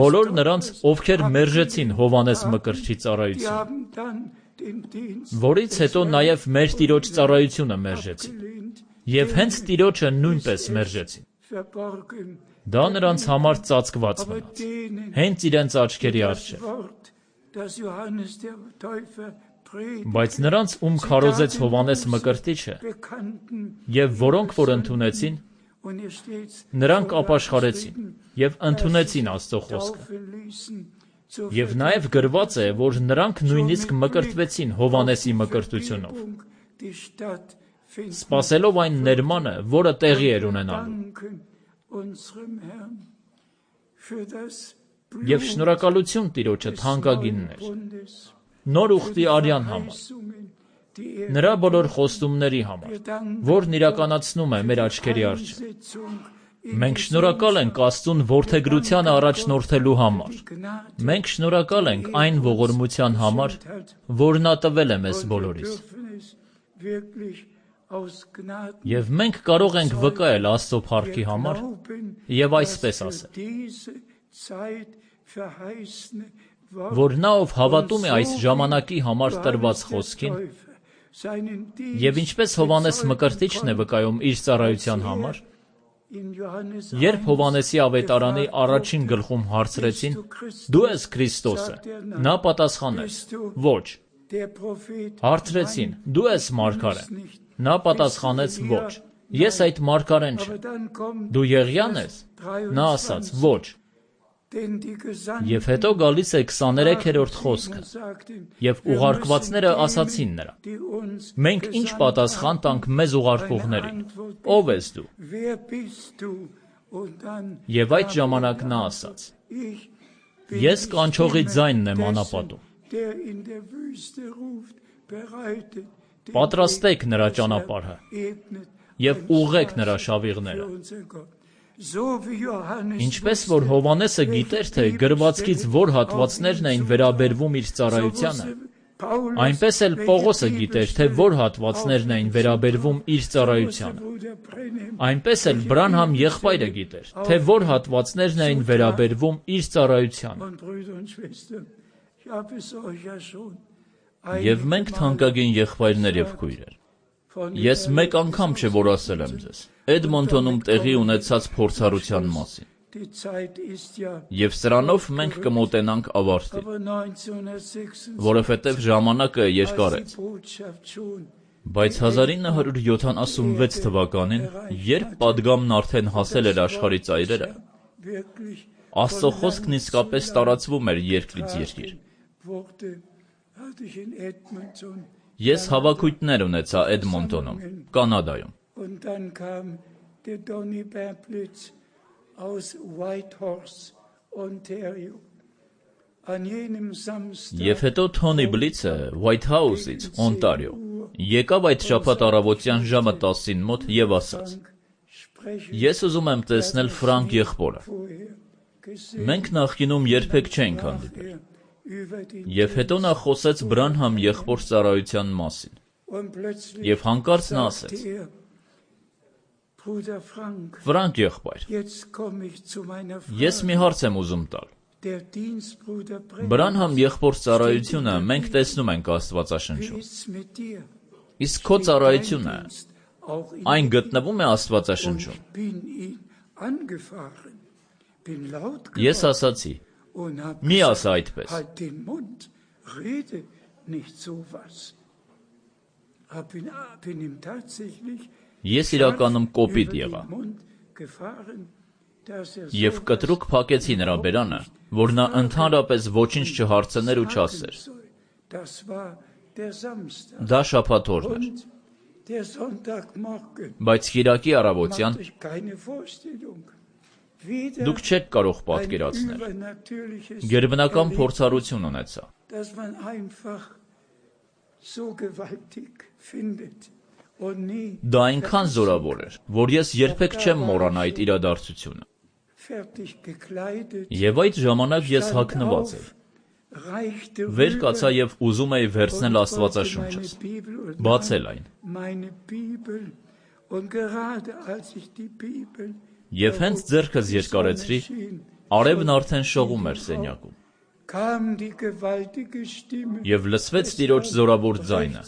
Բոլոր նրանց, ովքեր մերժեցին Հովհաննես Մկրտչի ծառայությունը, որից հետո նաև մեր Տիրոջ ծառայությունը մերժեցին, եւ հենց Տիրոջը նույնպես մերժեցին։ Դա նրանց համար ծածկված մնաց, հենց իրենց աչքերի առջև։ Բայց նրանց, ում քարոզեց Հովհաննես Մկրտիչը, եւ որոնք որ ընդունեցին, նրանք ապաշխարեցին եւ ընդունեցին Աստծո խոսքը։ Եվ նաեւ գրված է, որ նրանք նույնիսկ մկրտվեցին Հովհաննեսի մկրտությունով, սպասելով այն ներմանը, որը տեղի էր ունենալու։ Եվ շնորհակալություն Տիրոջը, թանկագիններ, նոր ուխտի արյան համար, նրա բոլոր խոստումների համար, որն իրականացնում է մեր աչքերի առջև։ Մենք շնորհակալ ենք Աստծուն որդեգրությանը առաջնորդելու համար։ Մենք շնորհակալ ենք այն ողորմության համար, որ նա տվել է մեզ բոլորիս։ Եվ մենք կարող ենք վկայել Աստծո փառքի համար եւ այսպես ասել, որ նա ով հավատում է այս ժամանակի համար տրված խոսքին, եւ ինչպես Հովհաննես Մկրտիչն է վկայում իր ծառայության համար, երբ Հովհաննեսի ավետարանի առաջին գլխում հարցրեցին. «Դու ես Քրիստոսը», նա պատասխանեց. «Ոչ»։ Հարցրեցին. «Դու ես մարգարեն», նա պատասխանեց. «Ոչ, ես այդ մարգարեն չեմ»։ «Դու Եղիան ես»։ Նա ասաց. «Ոչ»։ Եվ հետո գալիս է 23-րդ խոսքը, եւ ուղարկվածները ասացին նրան. «Մենք ինչ պատասխան տանք մեզ ուղարկողներին, ով ես դու»։ Եվ այդ ժամանակ նա ասաց. «Ես կանչողի ձայնն եմ անապատում. պատրաստեք նրա ճանապարհը եւ ուղղեք նրա շավիղները»։ Ինչպես որ Հովհաննեսը գիտեր, թե գրվածքից որ հատվածներն էին վերաբերվում իր ծառայությանը, այնպես էլ Պողոսը գիտեր, թե որ հատվածներն էին վերաբերվում իր ծառայությանը։ Այնպես էլ Բրանհամ եղբայրը գիտեր, թե որ հատվածներն էին վերաբերվում իր ծառայությանը։ Եվ մենք, թանկագին եղբայրներ եւ քույրեր, ես մեկ անգամ չէ որ ասել եմ ձեզ Էդմոնտոնում տեղի ունեցած փորձառության մասին, եւ սրանով մենք կմոտենանք ավարտին, որովհետեւ ժամանակը երկար է։ Բայց 1976 թվականին, երբ պատգամն արդեն հասել էր աշխարհի ծայրերը, Աստծո խոսքն իսկապես տարածվում էր երկրից երկիր։ Ես հավաքույթներ ունեցա Էդմոնտոնում, Կանադայում։ Եվ հետո Թոնի Բլիցը White House-ից, Օնտարիո, եկավ այդ շաբաթ առավոտյան ժամը 10-ին մոտ և ասաց. «Ես ուզում եմ տեսնել Ֆրանկ եղբորը։ Մենք նախկինում երբեք չենք հանդիպել»։ Եվ հետո նա խոսեց Բրանհամ եղբոր ծառայության մասին։ Եվ հանկարծ նա ասեց. «Ֆրանկ եղբայր, ես մի հարց եմ ուզում տալ։ Բրանհամ եղբոր ծառայությունը մենք տեսնում ենք Աստվածաշնչում։ Իսկ քո ծառայությունը այն գտնվում է Աստվածաշնչում»։ Ես ասացի. «Մի ասա այդպես»։ Ես իրականում կոպիտ եղա։ Եվ կտրուկ փակեցի նրա բերանը, որ նա ընդհանրապես ոչինչ չհարցներ ու չասեր։ Դա շաբաթօրն էր։ Բայց կիրակի առավոտյան դուք չեք կարող պատկերացնել։ Գերբնական փորձառություն ունեցա։ Դա այնքան զորավոր էր, որ ես երբեք չեմ մոռանա այդ իրադարձությունը։ Եվ այդ ժամանակ ես հագնված էի։ Վեր կացա և ուզում էի վերցնել Աստվածաշունչս, բացել այն։ Եվ հենց ձեռքս երկարեցրի, արևն արդեն շողում էր սենյակում։ Եվ լսվեց Տիրոջ զորավոր ձայնը։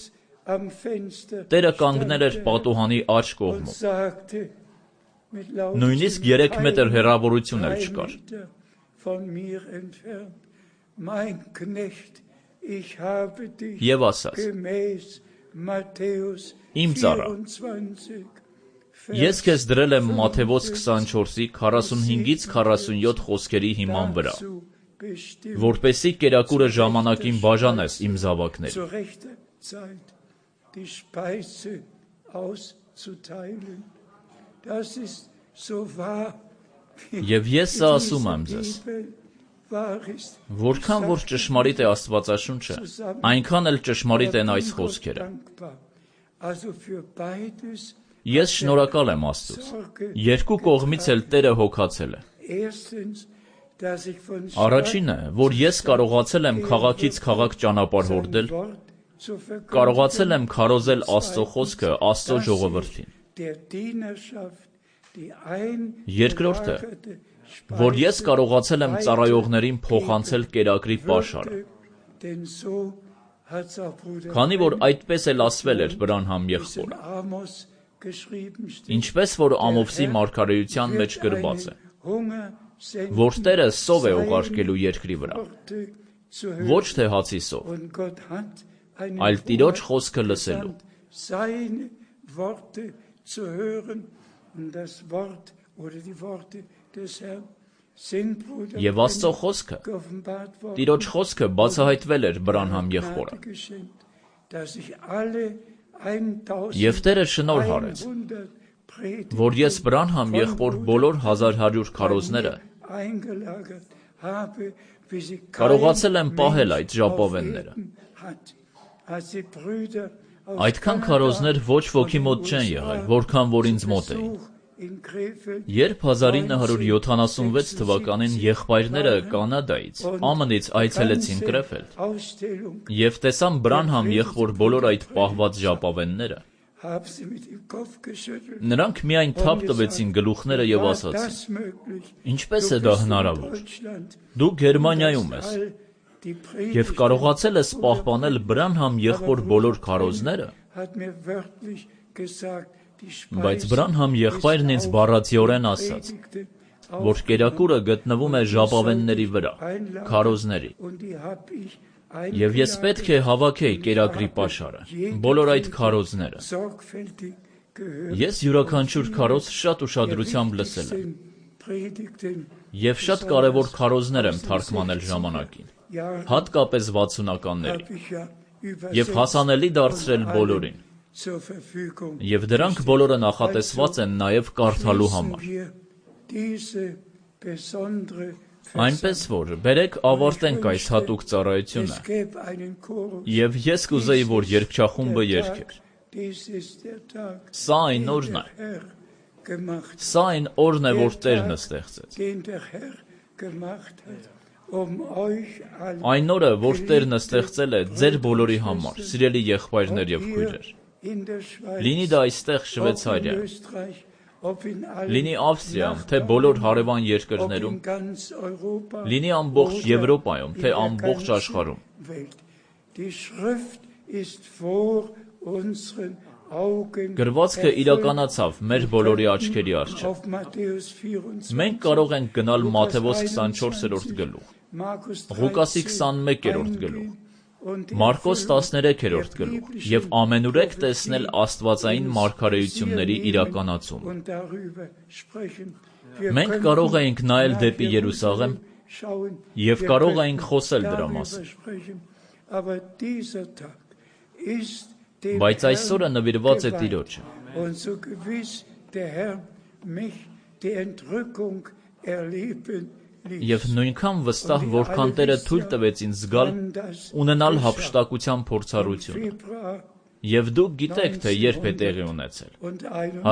Տերը կանգնել էր պատուհանի աջ կողմում։ Նույնիսկ 3 մետր հեռավորություն էլ չկար։ Եվ ասաց. «Իմ ծառա, ես քեզ դրել եմ Մատթեոս 24-ի 45-ից 47 խոսքերի հիման վրա, որպեսզի կերակուրը ժամանակին բաժանես իմ զավակներին»։ Եվ ես սա ասում եմ ձեզ. որքան որ ճշմարիտ է Աստվածաշունչը, այնքան էլ ճշմարիտ են այս խոսքերը։ Ես շնորհակալ եմ Աստծուց։ Երկու կողմից էլ Տերը հոգացել է։ Առաջինը, որ ես կարողացել եմ քաղաքից քաղաք ճանապարհ հորդել, կարողացել եմ քարոզել Աստծո խոսքը Աստծո ժողովրդին։ Երկրորդը, որ ես կարողացել եմ ծառայողներին փոխանցել կերակրի պաշարը։ Քանի որ այդպես էլ ասվել էր Բրանհամ եղբորը։ Ինչպես որ Ամովսի մարգարեության մեջ գրված է, որ Տերը սով է ուղարկելու երկրի վրա, ոչ թե հացի սով, այլ Տիրոջ խոսքը լսելու։ Եվ Աստծո խոսքը, Տիրոջ խոսքը բացահայտվել էր Բրանհամ եղբորը։ Եվ Տերը շնորհ արեց, որ ես Բրանհամ եղբոր բոլոր 1100 քարոզները կարողացել եմ պահել այդ ժապավենները։ Այդքան քարոզներ ոչ ոքի մոտ չեն եղել, որքան որ ինձ մոտ էին։ Երբ 1976 թվականին եղբայրները Կանադայից, ԱՄՆ-ից այցելեցին Կրեֆելդ և տեսան Բրանհամ եղբոր բոլոր այդ պահված ժապավենները, նրանք միայն թափ տվեցին գլուխները և ասացին. «Ինչպես է դա հնարավոր։ Դու Գերմանիայում ես և կարողացել ես պահպանել Բրանհամ եղբոր բոլոր քարոզները»։ Բայց Բրանհամ եղբայրն ինձ բառացիորեն ասաց, որ կերակուրը գտնվում է ժապավենների վրա, քարոզների։ Եվ ես պետք է հավաքեի կերակրի պաշարը, բոլոր այդ քարոզները։ Ես յուրաքանչյուր քարոզ շատ ուշադրությամբ լսել եմ։ Եվ շատ կարևոր քարոզներ եմ թարգմանել ժամանակին, հատկապես 60-ականների, եւ հասանելի դարձրել բոլորին։ Եվ դրանք բոլորը նախատեսված են նաեւ կարդալու համար։ Այնպես որ, բերեք ավարտենք այս հատուկ ծառայությունը, եւ ես կուզեի, որ երգչախումբը երգեր։ Սա այն օրն է։ Սա այն օրն է, որ Տերն ստեղծեց։ Այն օրը, որ Տերն ստեղծել է ձեր բոլորի համար, սիրելի եղբայրներ եւ քույրեր։ Լինի դա այստեղ Շվեյցարիայում, լինի Ավստրիայում, թե բոլոր հարևան երկրներում, լինի ամբողջ Եվրոպայում, թե ամբողջ աշխարհում։ Գրվածքը իրականացավ մեր բոլորի աչքերի առջև։ Մենք կարող ենք գնալ Մատթեոս 24-րդ գլուխ, Ղուկասի 21-րդ գլուխ, Մարկոս 13-րդ գլուխ եւ ամենուրեք տեսնել աստվածային մարգարեությունների իրականացումը։ Մենք կարող էինք նայել դեպի Երուսաղեմ եւ կարող էինք խոսել դրա մասին։ Բայց այսօրը նվիրված է Տիրոջը։ Եվ նույնքան վստահ, որքան Տերը թույլ տվեց ինձ զգալ, ունենալ հափշտակության փորձառությունը։ Եվ դուք գիտեք, թե երբ է տեղի ունեցել։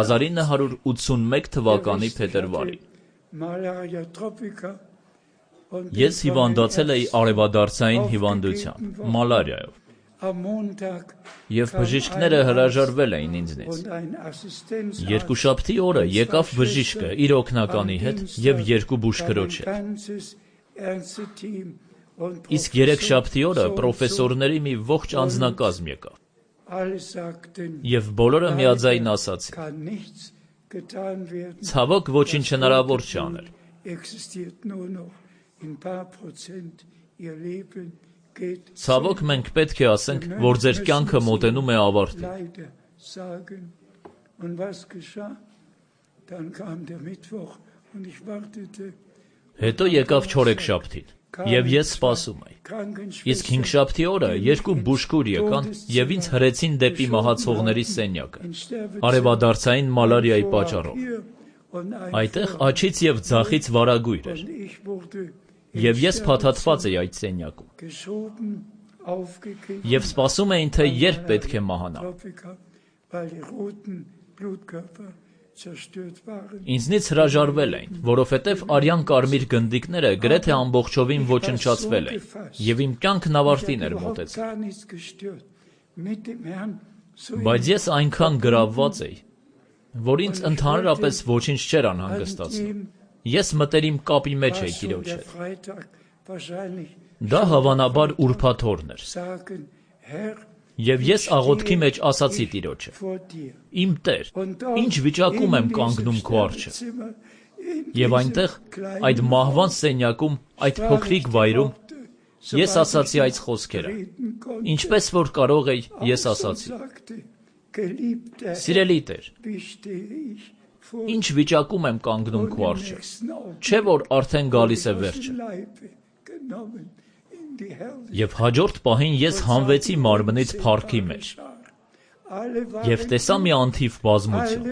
1981 թվականի փետրվարին։ Ես հիվանդացել էի արևադարձային հիվանդությամբ, մալարիայով։ Եվ բժիշկները հրաժարվել էին ինձնից։ Երկուշաբթի օրը եկավ բժիշկը իր օգնականի հետ եւ երկու բուժքրոջ հետ։ Իսկ երեքշաբթի օրը պրոֆեսորների մի ողջ անձնակազմ եկավ։ Եվ բոլորը միաձայն ասացին. ցավոք ոչինչ հնարավոր չի անել։ Ցավոք մենք պետք է ասենք, որ ձեր կյանքը մոտենում է ավարտին։ Հետո եկավ չորեքշաբթին, եւ ես սպասում էի։ Իսկ հինգշաբթի օրը երկու բուժքուր եկան եւ ինձ հրեցին դեպի մահացողների սենյակը, արևադարձային մալարիայի պատճառով։ Այդտեղ աջից եւ ձախից վարագույր էր։ Եվ ես փաթաթված էի այդ սենյակում։ Եվ սպասում էին, թե երբ պետք է մահանամ։ Ինձնից հրաժարվել էին, որովհետև արյան կարմիր գնդիկները գրեթե ամբողջովին ոչնչացվել էին, եւ իմ կյանքն ավարտին էր մոտեցել։ Բայց ես այնքան գրավված էի, որ ինձ ընդհանրապես ոչինչ չէր անհանգստացնում։ Ես մտերիմ կապի մեջ էի Տիրոջ հետ։ Դա հավանաբար ուրբաթ օրն էր։ Եվ ես աղոթքի մեջ ասացի Տիրոջը. «Իմ Տեր, ինչ վիճակում եմ կանգնում քո առջև»։ Եվ այնտեղ, այդ մահվան սենյակում, այդ փոքրիկ վայրում, ես ասացի այս խոսքերը։ Ինչպես որ կարող էի, ես ասացի. «Սիրելի Տեր, ինչ վիճակում եմ կանգնում քո առջև, չէ՞ որ արդեն գալիս է վերջը»։ Եվ հաջորդ պահին ես հանվեցի մարմնից փառքի մեջ եւ տեսա մի անթիվ բազմություն։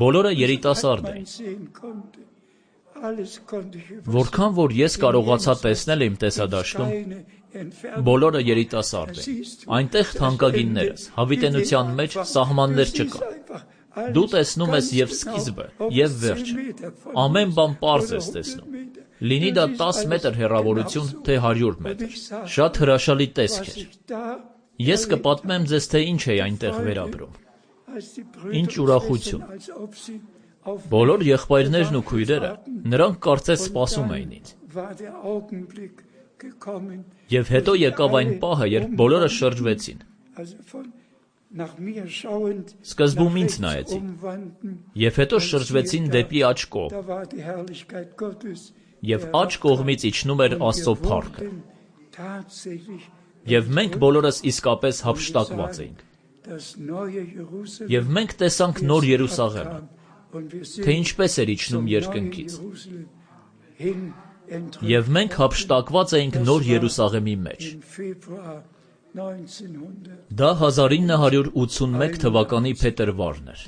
Բոլորը երիտասարդ էին։ Որքան որ ես կարողացա տեսնել իմ տեսադաշտում, բոլորը երիտասարդ էին։ Այնտեղ թանկագիններս, հավիտենության մեջ սահմաններ չկան։ Դու տեսնում ես եւ սկիզբը, եւ վերջը։ Ամեն բան պարզ ես տեսնում։ Լինի դա 10 մետր հեռավորություն, թե 100 մետր։ Շատ հրաշալի տեսք էր։ Ես կպատմեմ ձեզ, թե ինչ էի այնտեղ վերապրում։ Ինչ ուրախություն։ Բոլոր եղբայրներն ու քույրերը, նրանք կարծես սպասում էին ինձ։ Եվ հետո եկավ այն պահը, երբ բոլորը շրջվեցին։ Սկզբում ինձ նայեցին, եւ հետո շրջվեցին դեպի աջ կողմ, եւ աջ կողմից իջնում էր Աստծո փառքը, Եվ մենք բոլորս իսկապես հափշտակված էինք։ Եվ մենք տեսանք նոր Երուսաղեմը, թե ինչպես էր իջնում երկնքից։ Եվ մենք հափշտակված էինք նոր Երուսաղեմի մեջ։ Դա 1981 թվականի փետրվարն էր։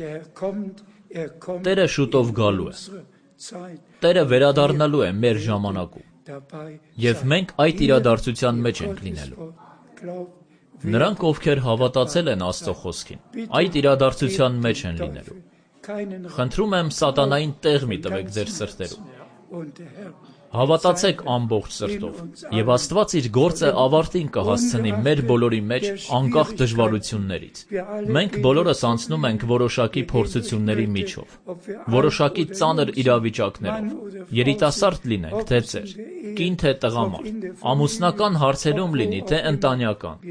Տերը շուտով գալու է։ Տերը վերադառնալու է մեր ժամանակում։ Եվ մենք այդ իրադարձության մեջ ենք լինելու։ Նրանք, ովքեր հավատացել են Աստծո խոսքին, այդ իրադարձության մեջ են լինելու։ Խնդրում եմ սատանային տեղ մի տվեք ձեր սրտերում։ Հավատացեք ամբողջ սրտով, եւ Աստված իր գործը ավարտին կհասցնի մեր բոլորի մեջ անկախ դժվարություններից։ Մենք բոլորս անցնում ենք որոշակի փորձությունների միջով, որոշակի ծանր իրավիճակներով, երիտասարդ լինենք, թե ծեր, կին թե տղամարդ, ամուսնական հարցերում լինի, թե ընտանյական,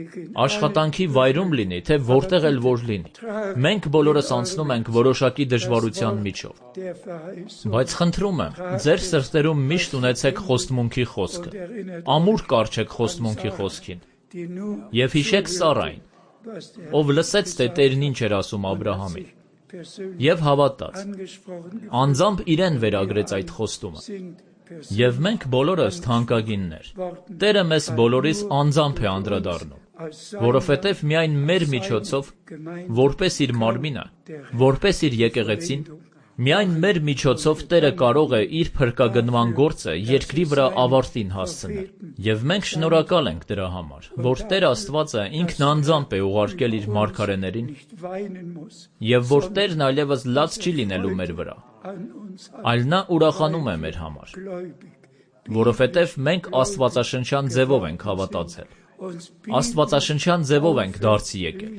աշխատանքի վայրում լինի, թե որտեղ էլ որ լինի։ Մենք բոլորս անցնում ենք որոշակի դժվարության միջով։ Բայց խնդրում եմ, ձեր սրտերում միշտ ունեցեք խոստմունքի խոսքը, ամուր կառչեք խոստմունքի խոսքին, եւ հիշեք Սառային, ով լսեց, թե Տերն ինչ էր ասում Աբրահամին, եւ հավատաց, անձամբ իրեն վերագրեց այդ խոստումը։ Եվ մենք բոլորս թանկագիններ, Տերը մեզ բոլորիս անձամբ է անդրադառնում, որովհետև միայն մեր միջոցով, որպես իր մարմինը, որպես իր եկեղեցին, միայն մեր միջոցով Տերը կարող է իր փրկագնման գործը երկրի վրա ավարտին հասցնել։ Եվ մենք շնորհակալ ենք դրա համար, որ Տեր Աստվածը ինքն անձամբ է ուղարկել իր մարգարեներին, եւ որ Տերն այլևս լաց չի լինելու մեր վրա, այլ նա ուրախանում է մեր համար, որովհետև մենք աստվածաշնչյան ձևով ենք հավատացել։ Աստվածաշնչյան ձևով ենք դարձի եկել։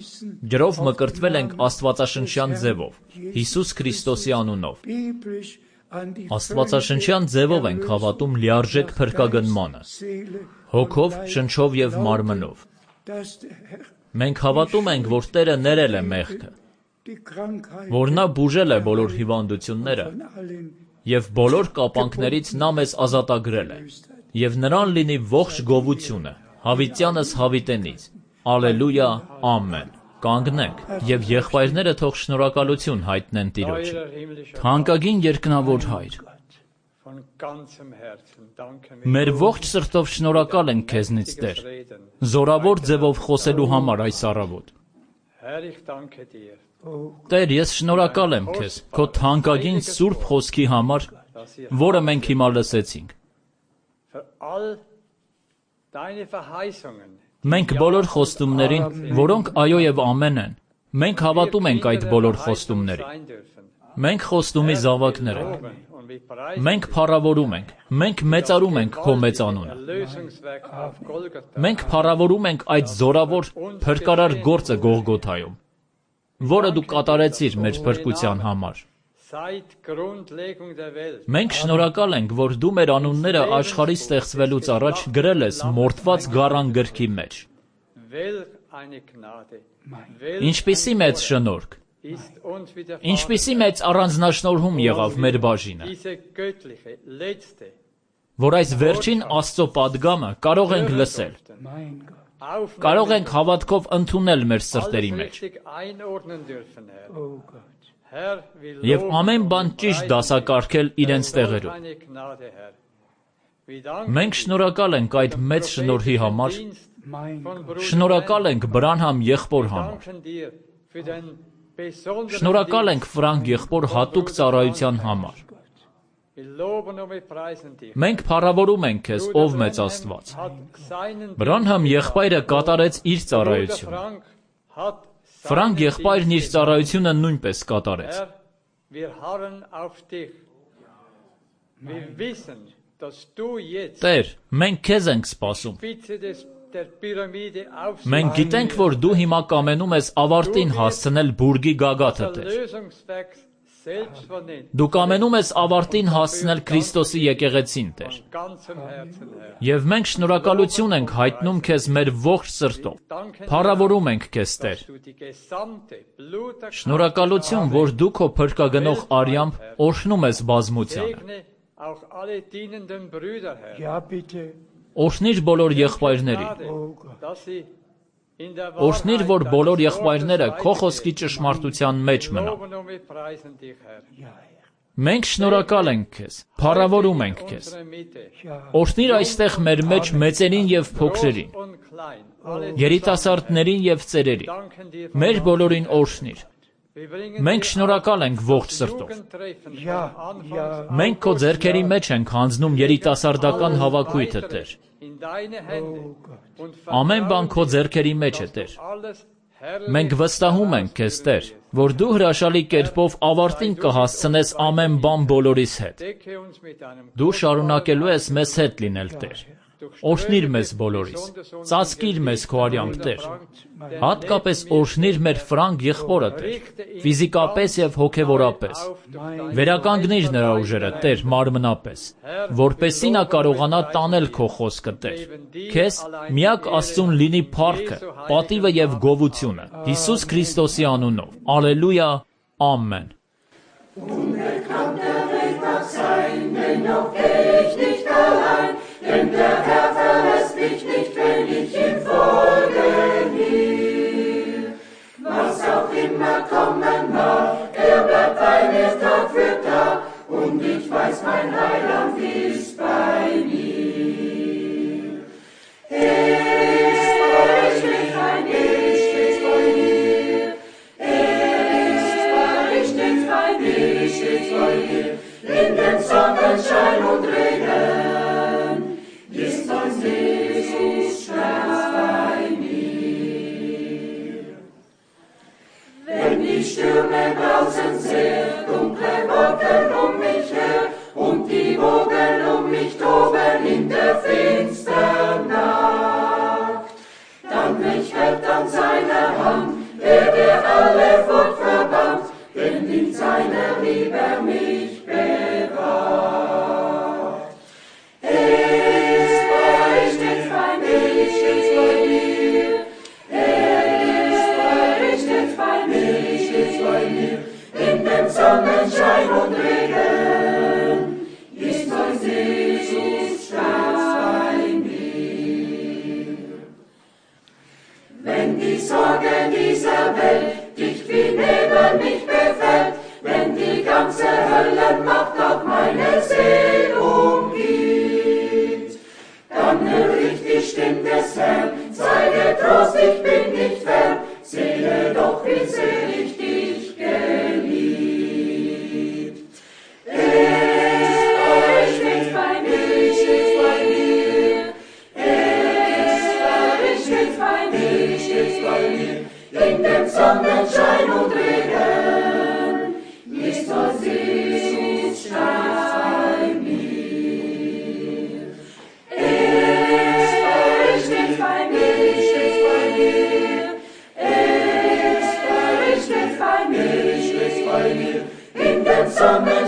Ջրով մկրտվել ենք աստվածաշնչյան ձևով, Հիսուս Քրիստոսի անունով։ Աստվածաշնչյան ձևով ենք հավատում լիարժեք փրկագնմանը, հոգով, շնչով եւ մարմնով։ Մենք հավատում ենք, որ Տերը ներել է մեղքը, որ նա բուժել է բոլոր հիվանդությունները եւ բոլոր կապանքներից նա մեզ ազատագրել է, եւ նրան լինի ողջ գովությունը, հավիտյանս հավիտենից։ Ալելույա, ամեն։ Կանգնենք եւ եղբայրները թող շնորհակալություն հայտնեն Տիրոջը։ Թանկագին երկնավոր Հայր, մեր ողջ սրտով շնորհակալ ենք քեզնից, Տեր, զորավոր ձևով խոսելու համար այս առավոտ։ Տեր, ես շնորհակալ եմ քեզ քո թանկագին սուրբ խոսքի համար, որը մենք հիմա լսեցինք։ Մենք բոլոր խոստումներին, որոնք այո եւ ամեն են, մենք հավատում ենք այդ բոլոր խոստումներին։ Մենք խոստումի զավակներ ենք։ Մենք փառավորում ենք, մենք մեծարում ենք քո մեծ անունը։ Մենք փառավորում ենք այդ զորավոր փրկարար գործը Գողգոթայում, որը դու կատարեցիր մեր փրկության համար։ Մենք շնորհակալ ենք, որ դու մեր անունները աշխարհի ստեղծվելուց առաջ գրել ես մորթված գառան գրքի մեջ։ Ինչպիսի մեծ շնորհք, ինչպիսի մեծ առանձնաշնորհում եղավ մեր բաժինը, որ այս վերջին Աստծո պատգամը կարող ենք լսել, կարող ենք հավատքով ընդունել մեր սրտերի մեջ։ Եվ ամեն բան ճիշտ դասակարգել իրենց տեղերում։ Մենք շնորհակալ ենք այդ մեծ շնորհի համար, շնորհակալ ենք Բրանհամ եղբոր համար, շնորհակալ ենք Ֆրանկ եղբոր հատուկ ծառայության համար։ Մենք փառավորում ենք քեզ, ով մեծ Աստված։ Բրանհամ եղբայրը կատարեց իր ծառայությունը։ Ֆրանկ եղբայրն իր ծառայությունը նույնպես կատարեց։ Տեր, մենք քեզ ենք սպասում։ Մենք գիտենք, որ դու հիմա կամենում ես ավարտին հասցնել բուրգի գագաթը, Տեր։ Դու կամենում ես ավարտին հասցնել Քրիստոսի եկեղեցին, Տեր։ Եվ մենք շնորհակալություն ենք հայտնում քեզ մեր ողջ սրտով։ Փառավորում ենք քեզ, Տեր։ Շնորհակալություն, որ դու քո փրկագնող արյամբ օրհնում ես բազմությանը։ Օրհնիր բոլոր եղբայրներին։ Օրհնիր, որ բոլոր եղբայրները քո խոսքի ճշմարտության մեջ մնան։ Մենք շնորհակալ ենք քեզ, փառավորում ենք քեզ։ Օրհնիր այստեղ մեր մեջ մեծերին եւ փոքրերին, երիտասարդներին եւ ծերերին, մեր բոլորին օրհնիր։ Մենք շնորհակալ ենք ողջ սրտով։ Մենք քո ձեռքերի մեջ ենք հանձնում երիտասարդական հավաքույթը, Տեր։ Ամեն բան քո ձեռքերի մեջ է, Տեր։ Մենք վստահում ենք քեզ, Տեր, որ դու հրաշալի կերպով ավարտին կհասցնես ամեն բան բոլորիս հետ։ Դու շարունակելու ես մեզ հետ լինել, Տեր։ Օրհնիր մեզ բոլորիս, ծածկիր մեզ քո արյամբ, Տեր։ Հատկապես օրհնիր մեր Ֆրանկ եղբորը, Տեր, ֆիզիկապես եւ հոգեվորապես։ Վերականգնիր նրա ուժերը, Տեր, մարմնապես, որպեսզի նա կարողանա տանել քո խոսքը, Տեր։ Քեզ միակ Աստծուն լինի փառքը, պատիվը եւ գովությունը, Հիսուս Քրիստոսի անունով։ Ալելույա, ամեն։ Denn der Herr verlässt mich nicht, wenn ich ihm folgen will. Was auch immer kommen mag, bleibt bei mir Tag für Tag, und ich weiß, mein Heiland ist bei mir. Ist bei mir, stets bei mir. Ist bei mir, stets bei mir. In dem Sonnenschein und Regen. Ist uns Jesus ganz bei mir. Wenn die Stürme draußen sehr, dunkle Wolken mich her und die Wogen mich toben in der finstern Nacht, dann mich hält an seiner Hand, der alle Furcht verbannt, denn in seiner Liebe mich bewahrt. Sonnenschein und Regen, ist uns Jesus stets bei mir. Wenn die Sorge dieser Welt dicht wie Nebel mich befällt, wenn die ganze Höllenmacht auf meine Seele umgibt, dann höre ich die Stimme des Herrn, sei getrost, ich bin nicht fern, sehe doch, wie sehr ich dich geliebt. In dem Sonnenschein und Regen ist uns Jesus stets bei mir. Ist bei mir, stets bei mir. Ist bei mir, stets bei mir. In dem Sonnenschein